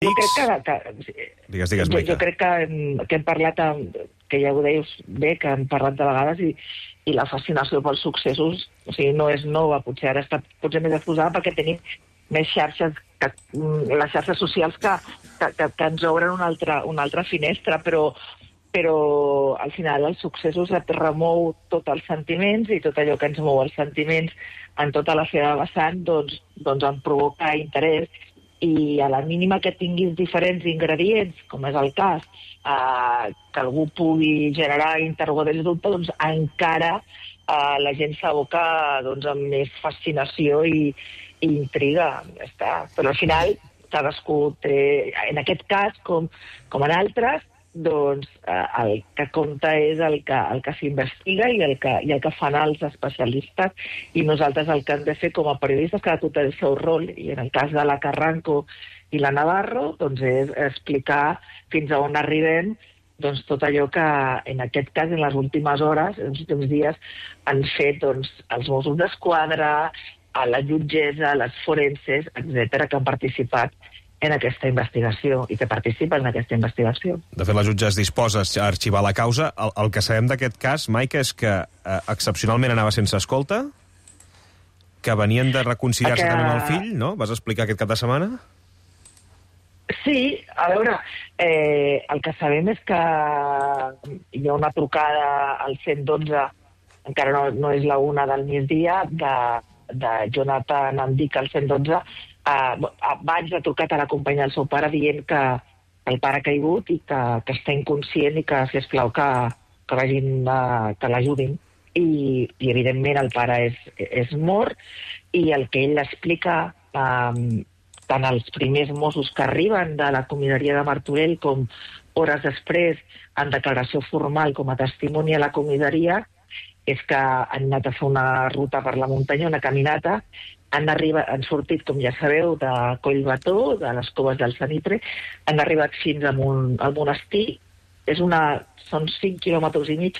Jo crec Digues, jo Maica. crec que hem parlat, que ja ho deies bé, que hem parlat de vegades i la fascinació pels successos, o sigui, no és nova, potser ara està potser més exposada perquè tenim més xarxes, les xarxes socials que ens obren una altra finestra, però al final els successos et remou tots els sentiments i tot allò que ens mou els sentiments en tota la seva vessant, doncs em provoca interès. I a la mínima que tinguis diferents ingredients, com és el cas, que algú pugui generar interrogatoris de dubte, doncs encara la gent s'aboca amb més fascinació i intriga. Ja està. Però al final cadascú té, en aquest cas, com en altres, doncs el que compta és el que s'investiga i el que fan els especialistes, i nosaltres el que hem de fer com a periodistes, cada tu té el seu rol, i en el cas de la Carranco i la Navarro doncs és explicar fins a on arribem, doncs tot allò que en aquest cas en les últimes hores, en els últims dies, han fet els Mossos d'Esquadra, a la jutgessa, les forenses, etc., que han participat en aquesta investigació i que participen en aquesta investigació. De fet, la jutge es disposa a arxivar la causa. El que sabem d'aquest cas, Maica, és que excepcionalment anava sense escolta, que venien de reconciliar-se també amb el fill, no? Vas explicar aquest cap de setmana? Sí, a veure, el que sabem és que hi ha una trucada al 112, encara no és la 1 del migdia, de Jonathan Andic al 112, abans ha trucat a la companya del seu pare dient que el pare ha caigut i que està inconscient i que, sisplau, que vagin, que l'ajudin. I evidentment el pare és mort, i el que ell explica tant els primers Mossos que arriben de la comissaria de Martorell com hores després en declaració formal com a testimoni a la comissaria és que han anat a fer una ruta per la muntanya, una caminata, han sortit, com ja sabeu, de Collbató, de les coves del Sanitre, han arribat fins al monestir, són 5 quilòmetres i mig,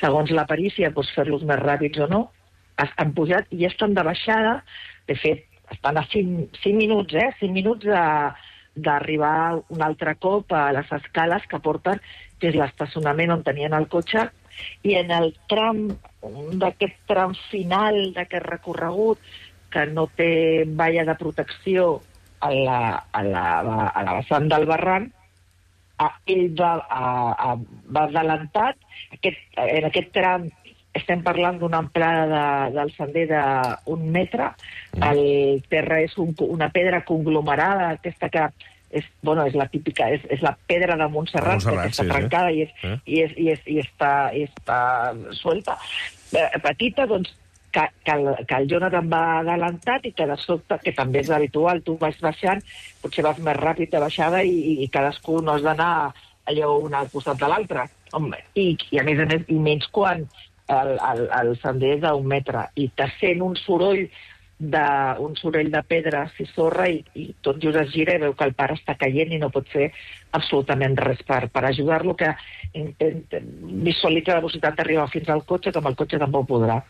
segons la perícia, pots fer-los més ràpids o no, han pujat i ja estan de baixada, de fet, estan a 5 minuts, 5 minuts d'arribar un altre cop a les escales que porten des de l'estacionament on tenien el cotxe, i en el tram, d'aquest tram final d'aquest recorregut, que no té valla de protecció a la vessant del barranc, ell va adelantat. En aquest tram estem parlant d'una amplada del sender d'1 metre. El terra és una pedra conglomerada, aquesta que és la típica, és la pedra de Montserrat, que està trencada i està suelta, petita, doncs, que el Jonathan va adelantat i que de sobte, que també és habitual, tu vas baixant, potser vas més ràpid de baixada i cadascú no has d'anar allò un al costat de l'altre. I a més, i menys quan el sender és d'1 metre i te sent un soroll de pedres i sorra i tot just es gira i veu que el pare està caient i no pot fer absolutament res per ajudar-lo, que visualitza la velocitat d'arribar fins al cotxe, que amb el cotxe tampoc podrà.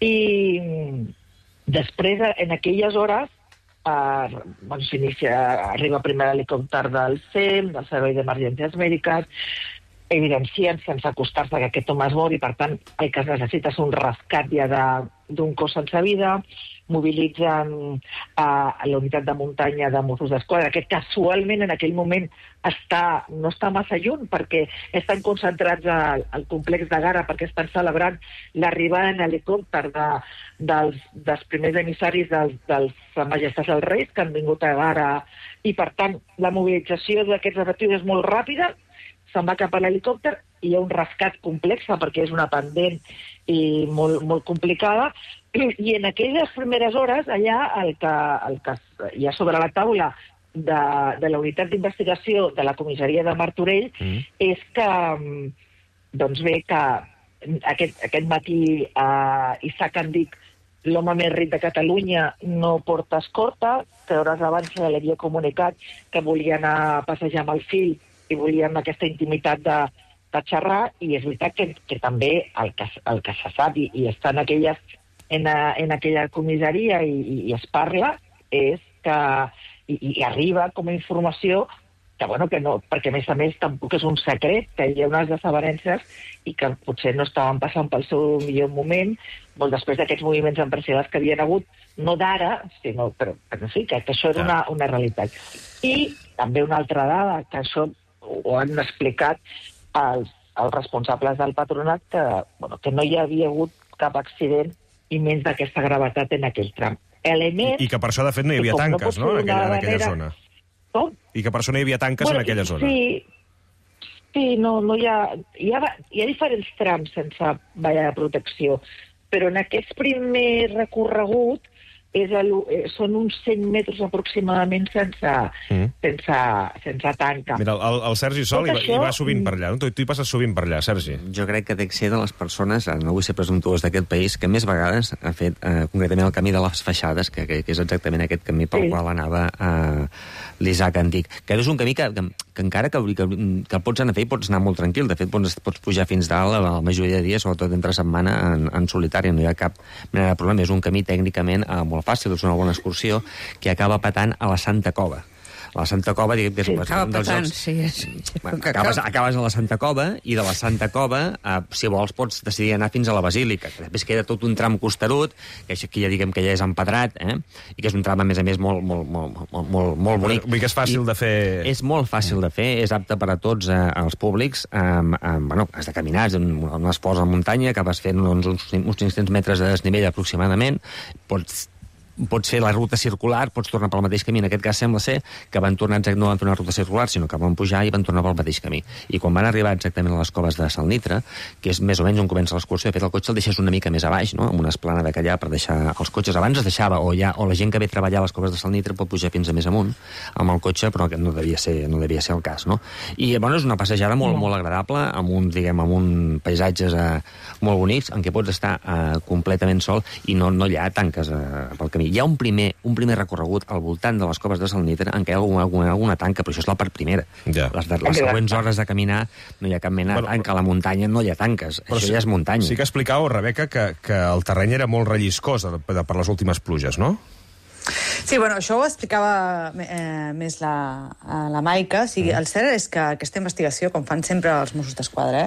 I després, en aquelles hores, arriba primer l'helicòpter del SEM, del Servei d'Emergències Mèdiques, evidencien sense acostar-se que aquest home es mor i, per tant, el que es necessita és un rescat ja d'un cos sense vida. Mobilitzen la unitat de muntanya de Mossos d'Esquadra, que casualment en aquell moment no està massa lluny, perquè estan concentrats al complex de Gara, perquè estan celebrant l'arribada en helicòpter dels primers emissaris dels Majestats dels Reis, que han vingut a Gara, i per tant la mobilització d'aquests efectius és molt ràpida, se'n va cap a l'helicòpter i hi ha un rescat complex perquè és una pendent i molt, molt complicada. I en aquelles primeres hores, allà, el que hi ha sobre la taula de la unitat d'investigació de la comissaria de Martorell és que, doncs bé, que aquest matí Isaac Andic, l'home més ric de Catalunya, no porta escorta, que hores abans se li havia comunicat que volia anar a passejar amb el fill i volien aquesta intimitat de xerrar, i és veritat que també el que se sap i està en aquella comissaria i es parla és que i arriba com a informació que, bueno, que no, perquè a més tampoc és un secret, que hi ha unes desavenences i que potser no estaven passant pel seu millor moment, molt després d'aquests moviments empresarials que havien hagut, no d'ara, sinó, però sí, que això era una realitat. I també una altra dada, que això ho han explicat els responsables del patronat, que no hi havia hagut cap accident i menys d'aquesta gravetat en aquell tram. I que per això, de fet, no hi havia tanques, no?, en aquella zona. Com? I que per això no hi havia tanques en aquella zona. Sí, no hi ha diferents trams sense valla de protecció, però en aquest primer recorregut són uns 100 metres aproximadament sense tanca. Mira, el Sergi Sol hi va sovint per allà, no? Tu hi passes sovint per allà, Sergi. Jo crec que dec ser de les persones, no vull ser presumptuós d'aquest país, que més vegades ha fet concretament el camí de les Feixades, que és exactament aquest camí pel qual anava l'Isaac Antic. Que és un camí que encara que pots anar a fer i pots anar molt tranquil. De fet, pots pujar fins dalt la majoria de dies, sobretot entre setmana, en solitari. No hi ha cap mena de problema. És un camí tècnicament molt fàcil, és una bona excursió, que acaba petant a la Santa Cova. La Santa Cova, diguem que és un dels llocs... Acabes a la Santa Cova, i de la Santa Cova, si vols, pots decidir anar fins a la Basílica, que després queda tot un tram costerut, que aquí ja diguem que ja és empedrat, i que és un tram, a més, molt bonic. Vull que és fàcil de fer... És molt fàcil de fer, és apte per a tots els públics. Has de caminar, és un esport a muntanya, acabes fent uns 500 metres de desnivell aproximadament, pots fer la ruta circular, pots tornar pel mateix camí. En aquest cas sembla ser que no van fer una ruta circular, sinó que van pujar i van tornar pel mateix camí. I quan van arribar exactament a les coves de Salnitra, que és més o menys on comença l'excursió, de fet el cotxe el deixes una mica més a baix, no?, amb una esplanada que allà per deixar els cotxes. Abans es deixava, o la gent que ve a treballar a les coves de Salnitra pot pujar fins a més amunt amb el cotxe, però no devia ser el cas, no? I, bueno, és una passejada molt agradable, amb uns paisatges molt bonics, en què pots estar completament sol i no hi ha tanques pel camí. Hi ha un primer recorregut al voltant de les coves de Salnitra en què hi ha alguna tanca, però això és la part primera. Ja. Les següents hores de caminar no hi ha cap mena de tanca. A la muntanya no hi ha tanques. Però això ja és muntanya. Sí que explicàveu, Rebeca, que el terreny era molt relliscós per les últimes pluges, no? Sí, bueno, això ho explicava més la Maica. O sigui, el cert és que aquesta investigació, com fan sempre els Mossos d'Esquadra,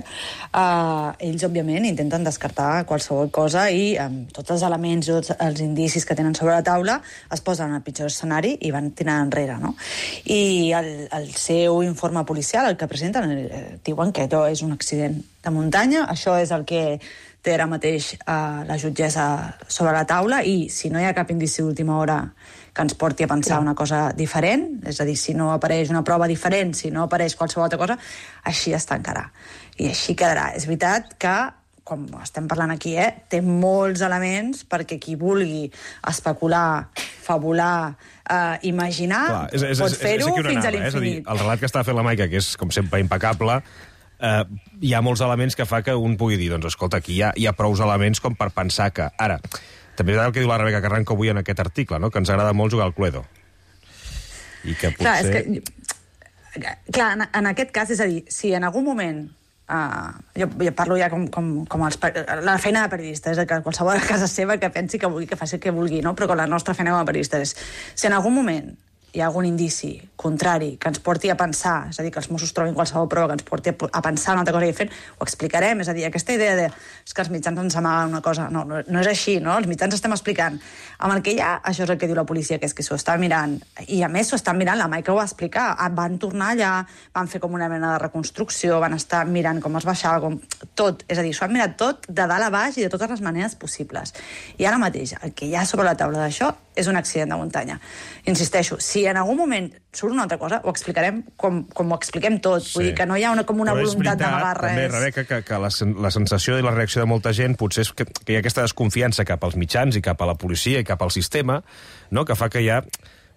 ells, òbviament, intenten descartar qualsevol cosa i amb tots els elements, tots els indicis que tenen sobre la taula, es posen al pitjor escenari i van tirant enrere, no? I el seu informe policial, el que presenten, diuen que allò és un accident de muntanya, això és el que té ara mateix la jutgessa sobre la taula, i si no hi ha cap indici d'última hora que ens porti a pensar una cosa diferent, és a dir, si no apareix una prova diferent, si no apareix qualsevol altra cosa, així es tancarà. I així quedarà. És veritat que, com estem parlant aquí, té molts elements perquè qui vulgui especular, fabular, imaginar, pot fer-ho fins a l'infinit. És a dir, el relat que està fent la Maica, que és, com sempre, impecable, hi ha molts elements que fa que un pugui dir, doncs, escolta, aquí hi ha prous elements com per pensar que... Ara, també és el que diu la Rebeca Carranco avui en aquest article, no?, que ens agrada molt jugar al Cluedo. I que potser... Clar, en aquest cas, és a dir, si en algun moment... jo parlo ja com la feina de periodista, és que qualsevol a casa seva que pensi que vulgui, que faci el que vulgui, no? Però la nostra feina com a periodista és... Si en algun moment hi ha algun indici contrari que ens porti a pensar, és a dir, que els Mossos trobin qualsevol prova que ens porti a pensar una altra cosa i fent, ho explicarem. És a dir, aquesta idea és que els mitjans ens amaguen una cosa, no és així, no? Els mitjans estem explicant. Amb el que hi ha, això és el que diu la policia, que és que s'ho està mirant. I a més s'ho estan mirant, la Maica ho va explicar. Van tornar allà, van fer com una mena de reconstrucció, van estar mirant com es baixava, com tot. És a dir, s'ho han mirat tot de dalt a baix i de totes les maneres possibles. I ara mateix, el que hi ha sobre la taula d'això és un accident de muntanya. Insisteixo, si en algun moment surt una altra cosa, ho explicarem com ho expliquem tot. Vull dir que no hi ha una voluntat d'amagar res. També, Rebeca, que la sensació i la reacció de molta gent potser és que hi ha aquesta desconfiança cap als mitjans i cap a la policia i cap al sistema, no?, que fa que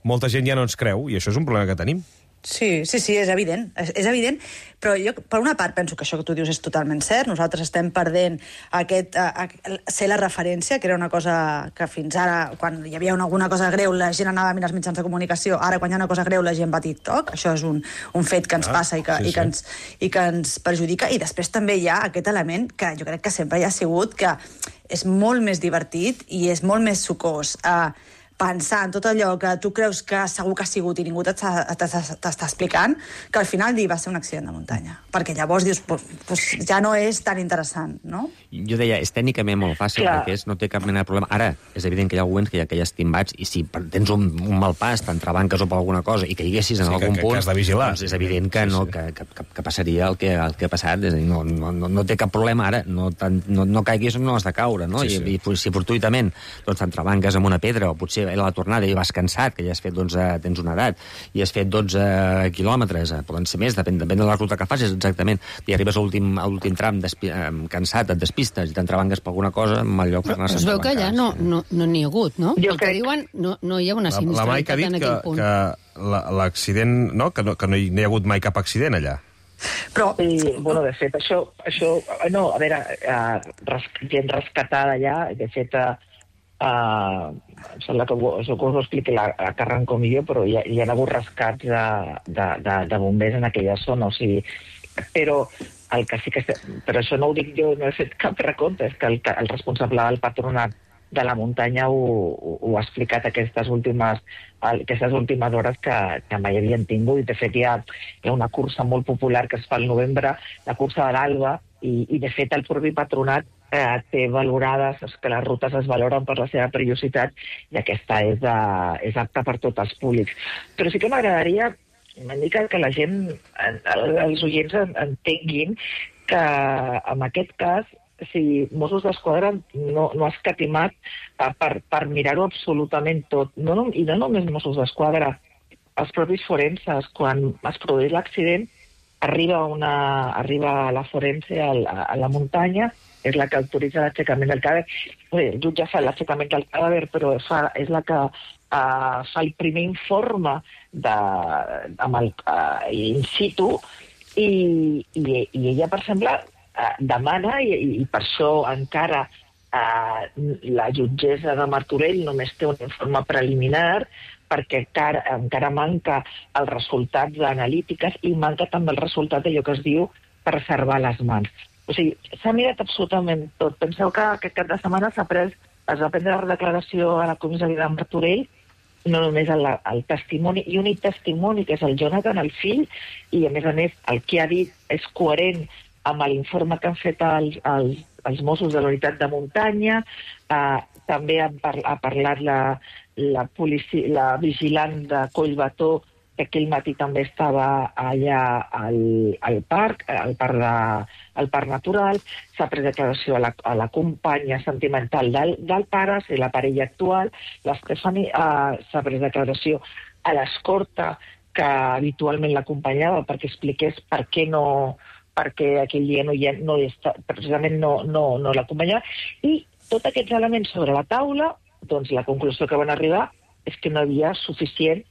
molta gent ja no ens creu, i això és un problema que tenim. Sí, és evident. És evident, però jo, per una part, penso que això que tu dius és totalment cert. Nosaltres estem perdent ser la referència, que era una cosa que fins ara, quan hi havia alguna cosa greu, la gent anava a mirar els mitjans de comunicació. Ara, quan hi ha una cosa greu, la gent va a TikTok. Això és un fet que ens passa i que ens perjudica. I després també hi ha aquest element que jo crec que sempre hi ha sigut, que és molt més divertit i és molt més sucós pensar en tot allò que tu creus que segur que ha sigut i ningú t'està explicant, que al final va ser un accident de muntanya. Perquè llavors dius, pues ja no és tan interessant, no? Jo deia, és tècnicament molt fàcil, perquè no té cap mena de problema. Ara, és evident que hi ha moments que hi ha estimbats, i si tens un mal pas, t'entrebanques o per alguna cosa, i que haguessis en algun punt, has de vigilar. Doncs és evident que passaria el que ha passat. És a dir, no té cap problema ara, no caiguis on no has de caure, no? I si fortuitament t'entrebanques amb una pedra, o potser a la tornada i vas cansat, que ja has fet, tens una edat, i has fet 12 quilòmetres, poden ser més, depèn de la ruta que facis exactament, i arribes a l'últim tram cansat, et despistes i t'entrebanques per alguna cosa, en mal lloc per anar-se es veu que allà no n'hi ha hagut, no? El que diuen, no hi ha una sinistralitat en aquell punt. La Maica ha dit que l'accident, que no hi ha hagut mai cap accident allà. Però, de fet, això no, a veure, gent rescatada allà, de fet, em sembla que us ho expliqui la Carran com jo, però hi ha hagut rescats de bombers en aquella zona, o sigui, però el que sí que... Però això no ho dic jo, no he fet cap recompte, és que el responsable del patronat de la muntanya ho ha explicat aquestes últimes hores que mai havien tingut. I de fet hi ha una cursa molt popular que es fa al novembre, la cursa de l'Alba, i de fet el propi patronat té valorades, que les rutes es valoren per la seva perillositat, i aquesta és apta per tots els públics. Però sí que m'agradaria una mica que la gent, els oients, entenguin que en aquest cas, si Mossos d'Esquadra no ha escatimat per mirar-ho absolutament tot. I no només Mossos d'Esquadra, els propis forenses, quan es produeix l'accident, arriba la forense a la muntanya, és la que autoritza l'aixecament del cadàver. El jutge fa l'aixecament del cadàver, però és la que fa el primer informe in situ, i ella, per exemple, demana, i per això encara la jutgessa de Martorell només té un informe preliminar, perquè encara manca els resultats analítiques i manca també el resultat d'allò que es diu preservar les mans. O sigui, s'ha mirat absolutament tot. Penseu que aquest cap de setmana es va prendre la declaració a la comissaria de Martorell, no només el testimoni, i únic testimoni, que és el Jonathan, el fill, i a més el que ha dit és coherent amb l'informe que han fet els Mossos de la unitat de muntanya. També ha parlat la vigilant de Collbató, que aquell matí també estava allà al parc natural. S'ha pres declaració a la companya sentimental del pare, és la parella actual. L'Estefani s'ha pres declaració a l'escorta que habitualment l'acompanyava, perquè expliqués perquè aquell dia precisament no l'acompanyava. I tots aquests elements sobre la taula, doncs la conclusió que van arribar és que no havia suficient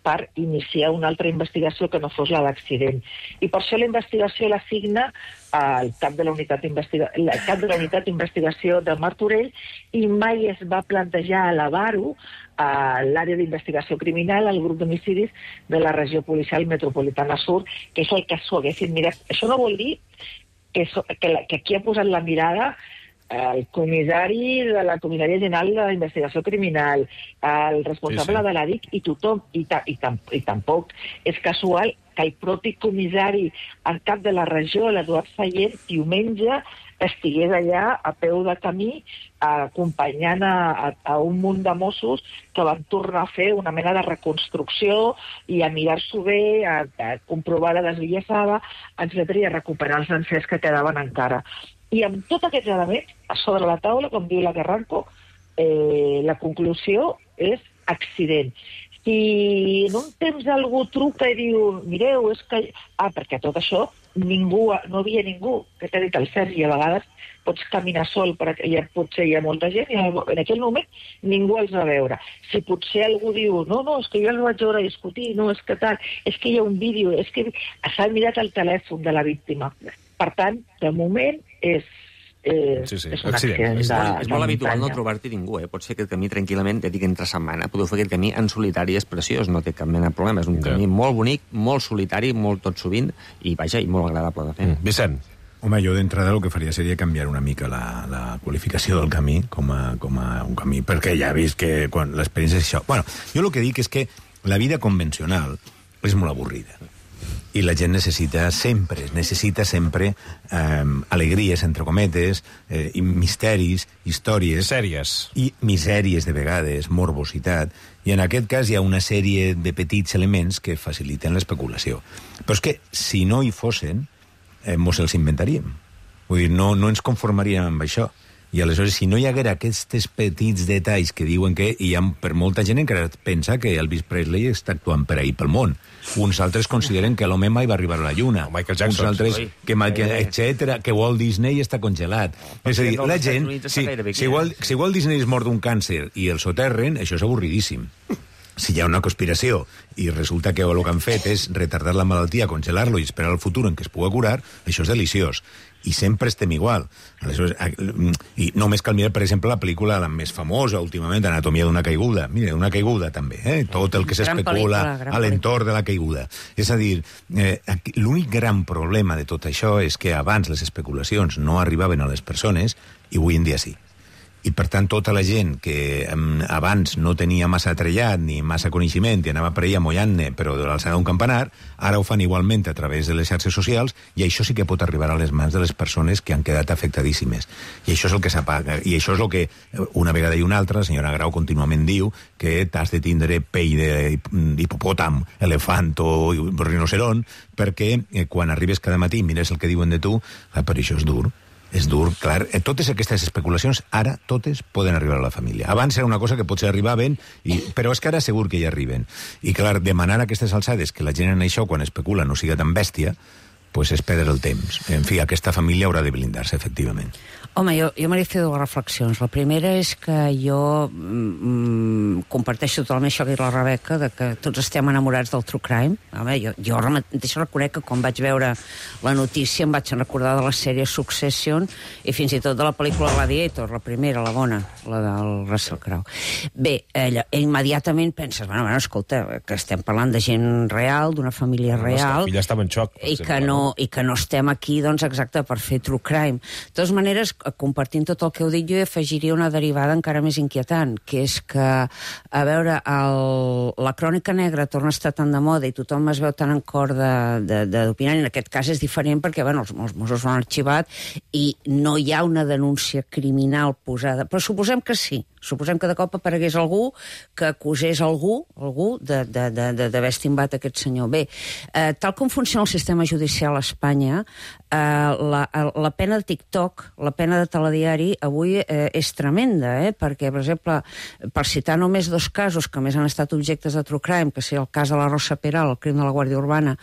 per iniciar una altra investigació que no fos la d'accident. I per això la investigació l'assigna al cap de la unitat d'investigació de Martorell, i mai es va plantejar elevar-ho a l'àrea d'investigació criminal, al grup d'homicidis de la regió policial metropolitana sur, que és el que s'ho haguessin mirat. Això no vol dir que aquí ha posat la mirada el comissari de la Comissaria General d'Investigació Criminal, el responsable de la DIC i tothom, i tampoc és casual que el propi comissari en cap de la regió, l'Eduard Sallent, diumenge estigués allà a peu de camí acompanyant a un munt de Mossos que van tornar a fer una mena de reconstrucció i a mirar-s'ho bé, a comprovar la desviassada, etc., i a recuperar els encers que quedaven encara. I amb tots aquests elements a sobre la taula, com diu la Carranco, la conclusió és accident. Si en un temps algú truca i diu, mireu, és que... perquè tot això no havia ningú, que t'ha dit el Sergi, a vegades pots caminar sol, perquè potser hi ha molta gent, i en aquell moment ningú els va veure. Si potser algú diu, no, és que jo els vaig veure discutir, no, és que tal, és que hi ha un vídeo, és que s'ha mirat el telèfon de la víctima. Per tant, de moment és un accident. És molt habitual no trobar-t'hi ningú, Pot ser aquest camí tranquil·lament, ja dic entre setmana. Podeu fer aquest camí en solitari, és preciós, no té cap mena de problema. És un camí molt bonic, molt solitari, molt tot sovint, i vaja, i molt agradable de fer. Vicent. Home, jo d'entrada el que faria seria canviar una mica la qualificació del camí com a un camí, perquè ja he vist que quan l'experiència és això. Bueno, jo el que dic és que la vida convencional és molt avorrida. I la gent necessita sempre alegries, entre cometes, misteris, històries... Sèries. I misèries, de vegades, morbositat. I en aquest cas hi ha una sèrie de petits elements que faciliten l'especulació. Però és que, si no hi fossin, mos els inventaríem. Vull dir, no ens conformaríem amb això. I aleshores, si no hi haguera aquests petits detalls que diuen que hi ha, per molta gent encara pensa que Elvis Presley està actuant per ahir pel món. Uns altres consideren que l'home mai va arribar a la Lluna. Michael Jackson. Uns altres que Walt Disney està congelat. És a dir, la gent... Si Walt Disney es mor d'un càncer i el soterren, això és avorridíssim. Si hi ha una conspiració i resulta que el que han fet és retardar la malaltia, congelar-lo i esperar el futur en què es pugui curar, això és deliciós. I sempre estem igual. Aleshores, i només cal mirar, per exemple, la pel·lícula la més famosa últimament, Anatomia d'una caiguda. Mira, una caiguda també, tot el que s'especula a l'entorn de la caiguda. És a dir, l'únic gran problema de tot això és que abans les especulacions no arribaven a les persones i avui en dia sí. I, per tant, tota la gent que abans no tenia massa trellat ni massa coneixement i anava per ahí amollant-ne, però de l'alçada d'un campanar, ara ho fan igualment a través de les xarxes socials i això sí que pot arribar a les mans de les persones que han quedat afectadíssimes. I això és el que s'apaga. I això és el que, una vegada i una altra, la senyora Grau contínuament diu que t'has de tindre pell d'hipopòtam, elefant o rinoceront, perquè quan arribes cada matí i mires el que diuen de tu, per això és dur. És dur, clar. Totes aquestes especulacions, ara, totes poden arribar a la família. Abans era una cosa que potser arribaven, però és que ara segur que hi arriben. I, clar, demanar a aquestes alçades que la gent en això, quan especula, no siga tan bèstia, pues és perdre el temps. En fi, aquesta família haurà de blindar-se, efectivament. Home, jo m'he fet dues reflexions. La primera és que jo comparteixo totalment això que ha dit la Rebeca, de que tots estem enamorats del true crime. Home, jo mateix reconec que quan vaig veure la notícia em vaig recordar de la sèrie Succession i fins i tot de la pel·lícula Gladiator, la primera, la bona, la del Russell Crowe. Bé, immediatament penses, bueno, escolta, que estem parlant de gent real, d'una família real... La filla estava en xoc. I que no estem aquí, doncs, exacte, per fer true crime. De totes maneres, compartint tot el que heu dit, jo afegiria una derivada encara més inquietant, que és que, a veure, la crònica negra torna a estar tan de moda i tothom es veu tan en cor d'opinar, i en aquest cas és diferent perquè, bueno, els Mossos ho han arxivat i no hi ha una denúncia criminal posada, però suposem que sí. Suposem que de cop aparegués algú que acusés algú d'haver estimbat aquest senyor. Bé, tal com funciona el sistema judicial a Espanya, la pena de TikTok, la pena de telediari, avui és tremenda, perquè, per exemple, per citar només dos casos que més han estat objectes de true crime, que sigui el cas de la Rosa Peral, el crim de la Guàrdia Urbana,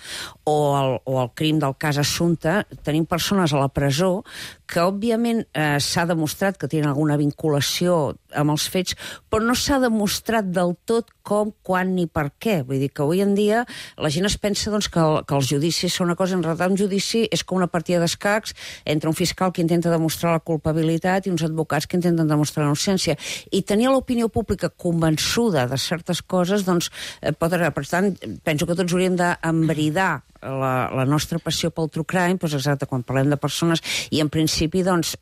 o el crim del cas Assumpta, tenim persones a la presó que, òbviament, s'ha demostrat que tenen alguna vinculació amb els fets, però no s'ha demostrat del tot com, quan ni per què. Vull dir que avui en dia la gent es pensa doncs, que els judicis són una cosa, en realitat un judici és com una partida d'escacs entre un fiscal que intenta demostrar la culpabilitat i uns advocats que intenten demostrar la innocència. I tenir l'opinió pública convençuda de certes coses, doncs, pot arribar. Per tant, penso que tots hauríem d'embridar la nostra passió pel true crime, doncs exacte, quan parlem de persones, i en principi doncs,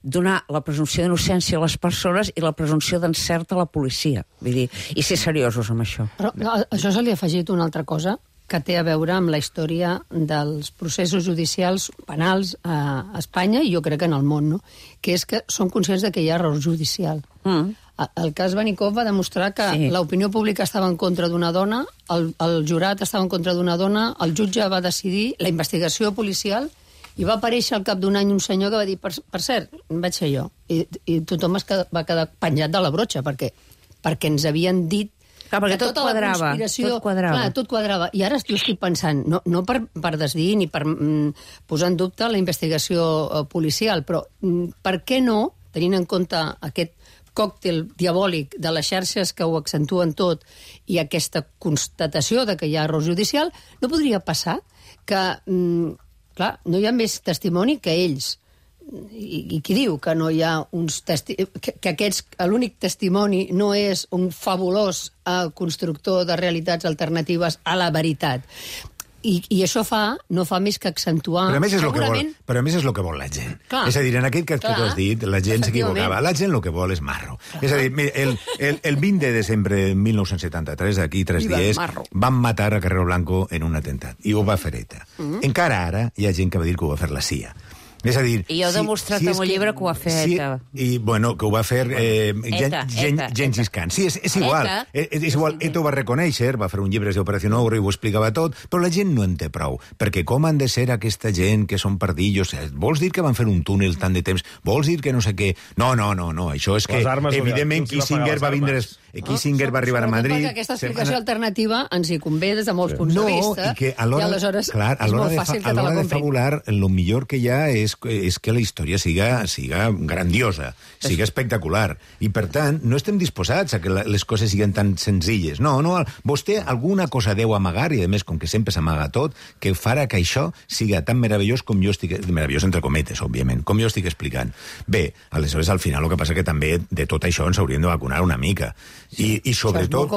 donar la presumpció d'innocència a les persones i la presumpció d'encert a la policia. Vull dir, i ser seriosos amb això. Però això se li ha afegit una altra cosa que té a veure amb la història dels processos judicials penals a Espanya i jo crec que en el món, no? Que és que són conscients de que hi ha error judicial. El cas Vanikov va demostrar que l'opinió pública estava en contra d'una dona, el jurat estava en contra d'una dona, el jutge va decidir la investigació policial i va aparèixer al cap d'un any un senyor que va dir, per cert, vaig ser jo. I tothom va quedar penjat de la brotxa, perquè ens havien dit clar, perquè tot quadrava. Clar, tot quadrava. I ara jo estic pensant, no per desdir ni per posar en dubte la investigació policial, però per què no, tenint en compte aquest còctel diabòlic de les xarxes que ho accentuen tot i aquesta constatació de que hi ha error judicial, no podria passar que, clar, no hi ha més testimoni que ells. I qui diu que no hi ha uns que l'únic testimoni no és un fabulós constructor de realitats alternatives a la veritat? I això no fa més que accentuar... Però a més és el que vol la gent. Clar. És a dir, en aquest cas que tu has dit, la gent s'equivocava. La gent el que vol és marro. És a dir, el 20 de desembre de 1973, aquí 3 dies, van matar a Carrero Blanco en un atemptat. I ho va fer ETA. Encara ara hi ha gent que va dir que ho va fer la CIA. És a dir... I jo he demostrat en un llibre que ho va fer ETA. I, bueno, que ho va fer Gengis Khan. Sí, és igual. És igual. ETA ho va reconèixer, va fer un llibre d'Operació Ogro i ho explicava tot, però la gent no en té prou. Perquè com han de ser aquesta gent que són pardillos? Vols dir que van fer un túnel tant de temps? Vols dir que no sé què? No. Això és que, evidentment, Kissinger va vindre... Kissinger va arribar a Madrid... Aquesta explicació alternativa ens hi convé des de molts punts de vista. I aleshores és molt fàcil que te la comprin. A l'hora de fabular, el millor que hi ha és que la història siga grandiosa, siga espectacular. I, per tant, no estem disposats a que les coses siguin tan senzilles. No, vostè alguna cosa deu amagar, i a més, com que sempre s'amaga tot, que farà que això siga tan meravellós com jo estic... Meravellós entre cometes, òbviament, com jo estic explicant. Bé, aleshores, al final, el que passa que també de tot això ens hauríem de vacunar una mica. I sobretot,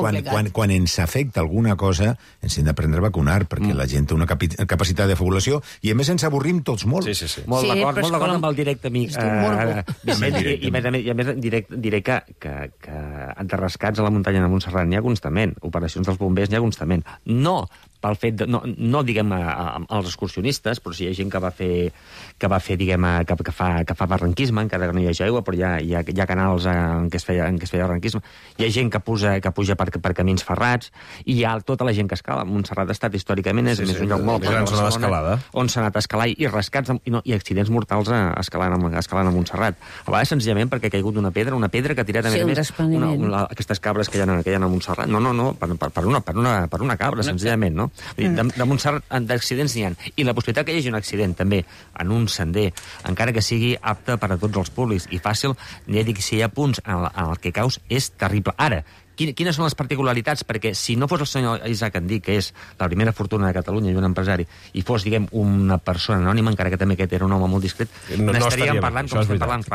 quan ens afecta alguna cosa, ens hem d'aprendre a vacunar, perquè la gent té una capacitat de fabulació, i a més ens avorrim tots molt. Sí. Molt d'acord amb el directe amic. I a més diré que enterrascats a la muntanya de Montserrat n'hi ha constantment, operacions dels bombers n'hi ha constantment. No pel fet no diguem als excursionistes, però si hi ha gent que va fer diguem que fa barranquisme, encara que no hi hagi aigua, però hi ha canals en què es feia barranquisme. Hi ha gent que puja per camins ferrats, i hi ha tota la gent que escala. Montserrat ha estat històricament és un lloc molt d'escalada, on s'ha anat a escalar i rescats i accidents mortals escalant a Montserrat. A vegades senzillament perquè ha caigut una pedra que ha tirat a més aquestes cabres que hi ha a Montserrat. No, per una cabra, senzillament, no? De Montserrat d'accidents n'hi ha. I la possibilitat que hi hagi un accident també en un sender, encara que sigui apte per a tots els públics i fàcil, ja dic, si hi ha punts en el que caus, és terrible. Ara, quines són les particularitats? Perquè si no fos el senyor Isaac Andí, que és la primera fortuna de Catalunya i un empresari, i fos, diguem, una persona anònima, encara que també aquest era un home molt discret, n'estaríem parlant com estem parlant.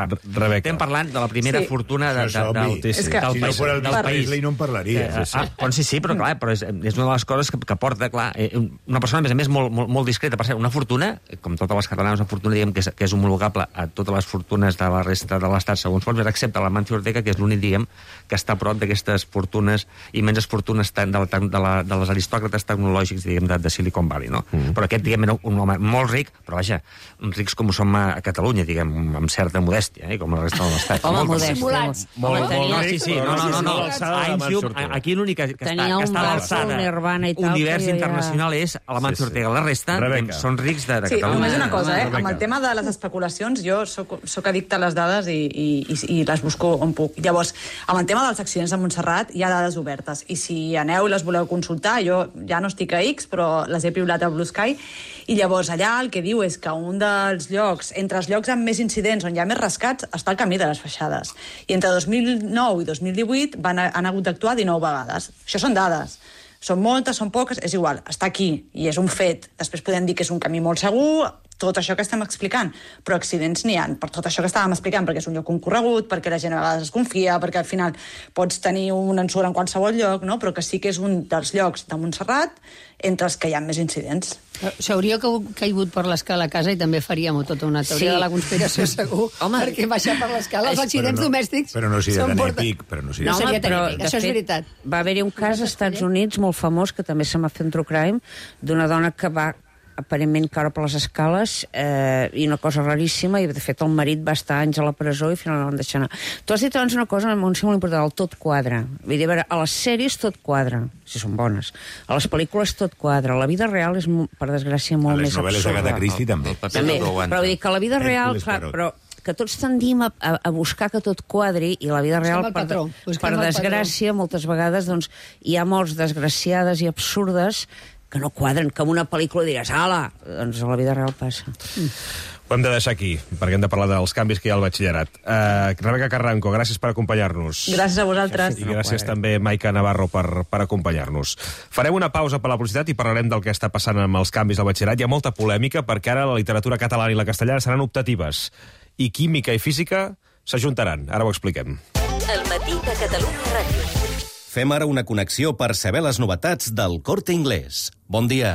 Estem parlant de la primera fortuna del país. Si no fos el Presley no en parlaria. Sí, però clar, és una de les coses que porta, clar, una persona, a més, molt discreta. Per cert, una fortuna, com totes les catalanes, una fortuna, diguem, que és homologable a totes les fortunes de la resta de l'Estat, segons fons, excepte l'Amancio Ortega, que és l'únic, diguem, que està a prop d'aquestes fortunes, immenses fortunes de les aristòcrates tecnològics, diguem, de Silicon Valley, no? Però aquest, diguem, era un home molt ric, però vaja, rics com ho som a Catalunya, diguem, amb certa modèstia, com la resta de l'Estat. Home, modèstia. No. Aquí l'únic que està a l'alçada univers internacional és l'Amancio Ortega. La resta són rics de Catalunya. Sí, només una cosa, amb el tema de les especulacions, jo soc addicte a les dades i les busco on puc. Llavors, amb el tema dels accidents de Montserrat hi ha dades obertes, i si aneu i les voleu consultar, jo ja no estic a X, però les he piulat a Blue Sky, i llavors allà el que diu és que un dels llocs, entre els llocs amb més incidents, on hi ha més rescats, està el camí de les Feixades. I entre 2009 i 2018 han hagut d'actuar 19 vegades. Això són dades. Són moltes, són poques, és igual, està aquí, i és un fet. Després podem dir que és un camí molt segur, tot això que estem explicant, però accidents n'hi ha, per tot això que estàvem explicant, perquè és un lloc concorregut, perquè la gent a vegades es confia, perquè al final pots tenir un ensurt en qualsevol lloc, no? Però que sí que és un dels llocs de Montserrat entre els que hi ha més incidents. S'hauria caigut per l'escala a casa i també faríem tota una teoria de la conspiració, segur. Home, perquè baixar per l'escala, els accidents domèstics... Però no seria tan èpic. No seria tan èpic, això és veritat. Va haver-hi un cas als Estats Units molt famós, que també se m'ha fet un true crime, d'una dona que va aparentment caure per les escales, i una cosa raríssima, i de fet el marit va estar anys a la presó i finalment van deixar anar. Tu has dit abans una cosa molt important, el tot quadra. Vull dir, a veure, a les sèries tot quadra, si són bones. A les pel·lícules tot quadra. La vida real és, per desgràcia, molt més absurda. A les novel·les d'Agatha Christie també. Però vull dir que la vida real, clar, però que tots tendim a buscar que tot quadri, i la vida real, per desgràcia, moltes vegades doncs, hi ha morts desgraciades i absurdes que no quadren, que en una pel·lícula diràs ala, doncs a la vida real passa. Ho hem de deixar aquí, perquè hem de parlar dels canvis que hi ha al batxillerat. Rebeca Carranco, gràcies per acompanyar-nos. Gràcies a vosaltres. I gràcies també, Maica Navarro, per acompanyar-nos. Farem una pausa per la publicitat i parlarem del que està passant amb els canvis al batxillerat. Hi ha molta polèmica, perquè ara la literatura catalana i la castellana seran optatives, i química i física s'ajuntaran. Ara ho expliquem. El matí de Catalunya Ràdio. Fem ara una connexió per saber les novetats del Corte Inglés. Bon dia.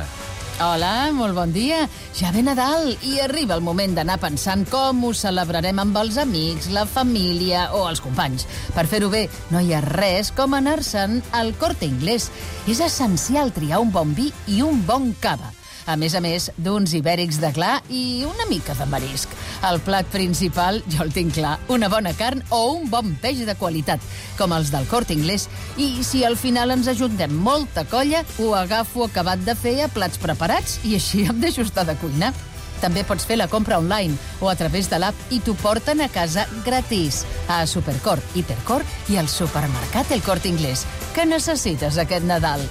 Hola, molt bon dia. Ja ve Nadal i arriba el moment d'anar pensant com ho celebrarem amb els amics, la família o els companys. Per fer-ho bé, no hi ha res com anar-se'n al Corte Inglés. És essencial triar un bon vi i un bon cava. A més d'uns ibèrics de clar i una mica de marisc. El plat principal, jo el tinc clar, una bona carn o un bon peix de qualitat, com els del Corte Inglés. I si al final ens ajuntem molta colla, ho agafo acabat de fer a plats preparats i així em deixo estar de cuinar. També pots fer la compra online o a través de l'app i t'ho porten a casa gratis. A Supercor, Hipercor i al supermercat El Corte Inglés. Què necessites aquest Nadal?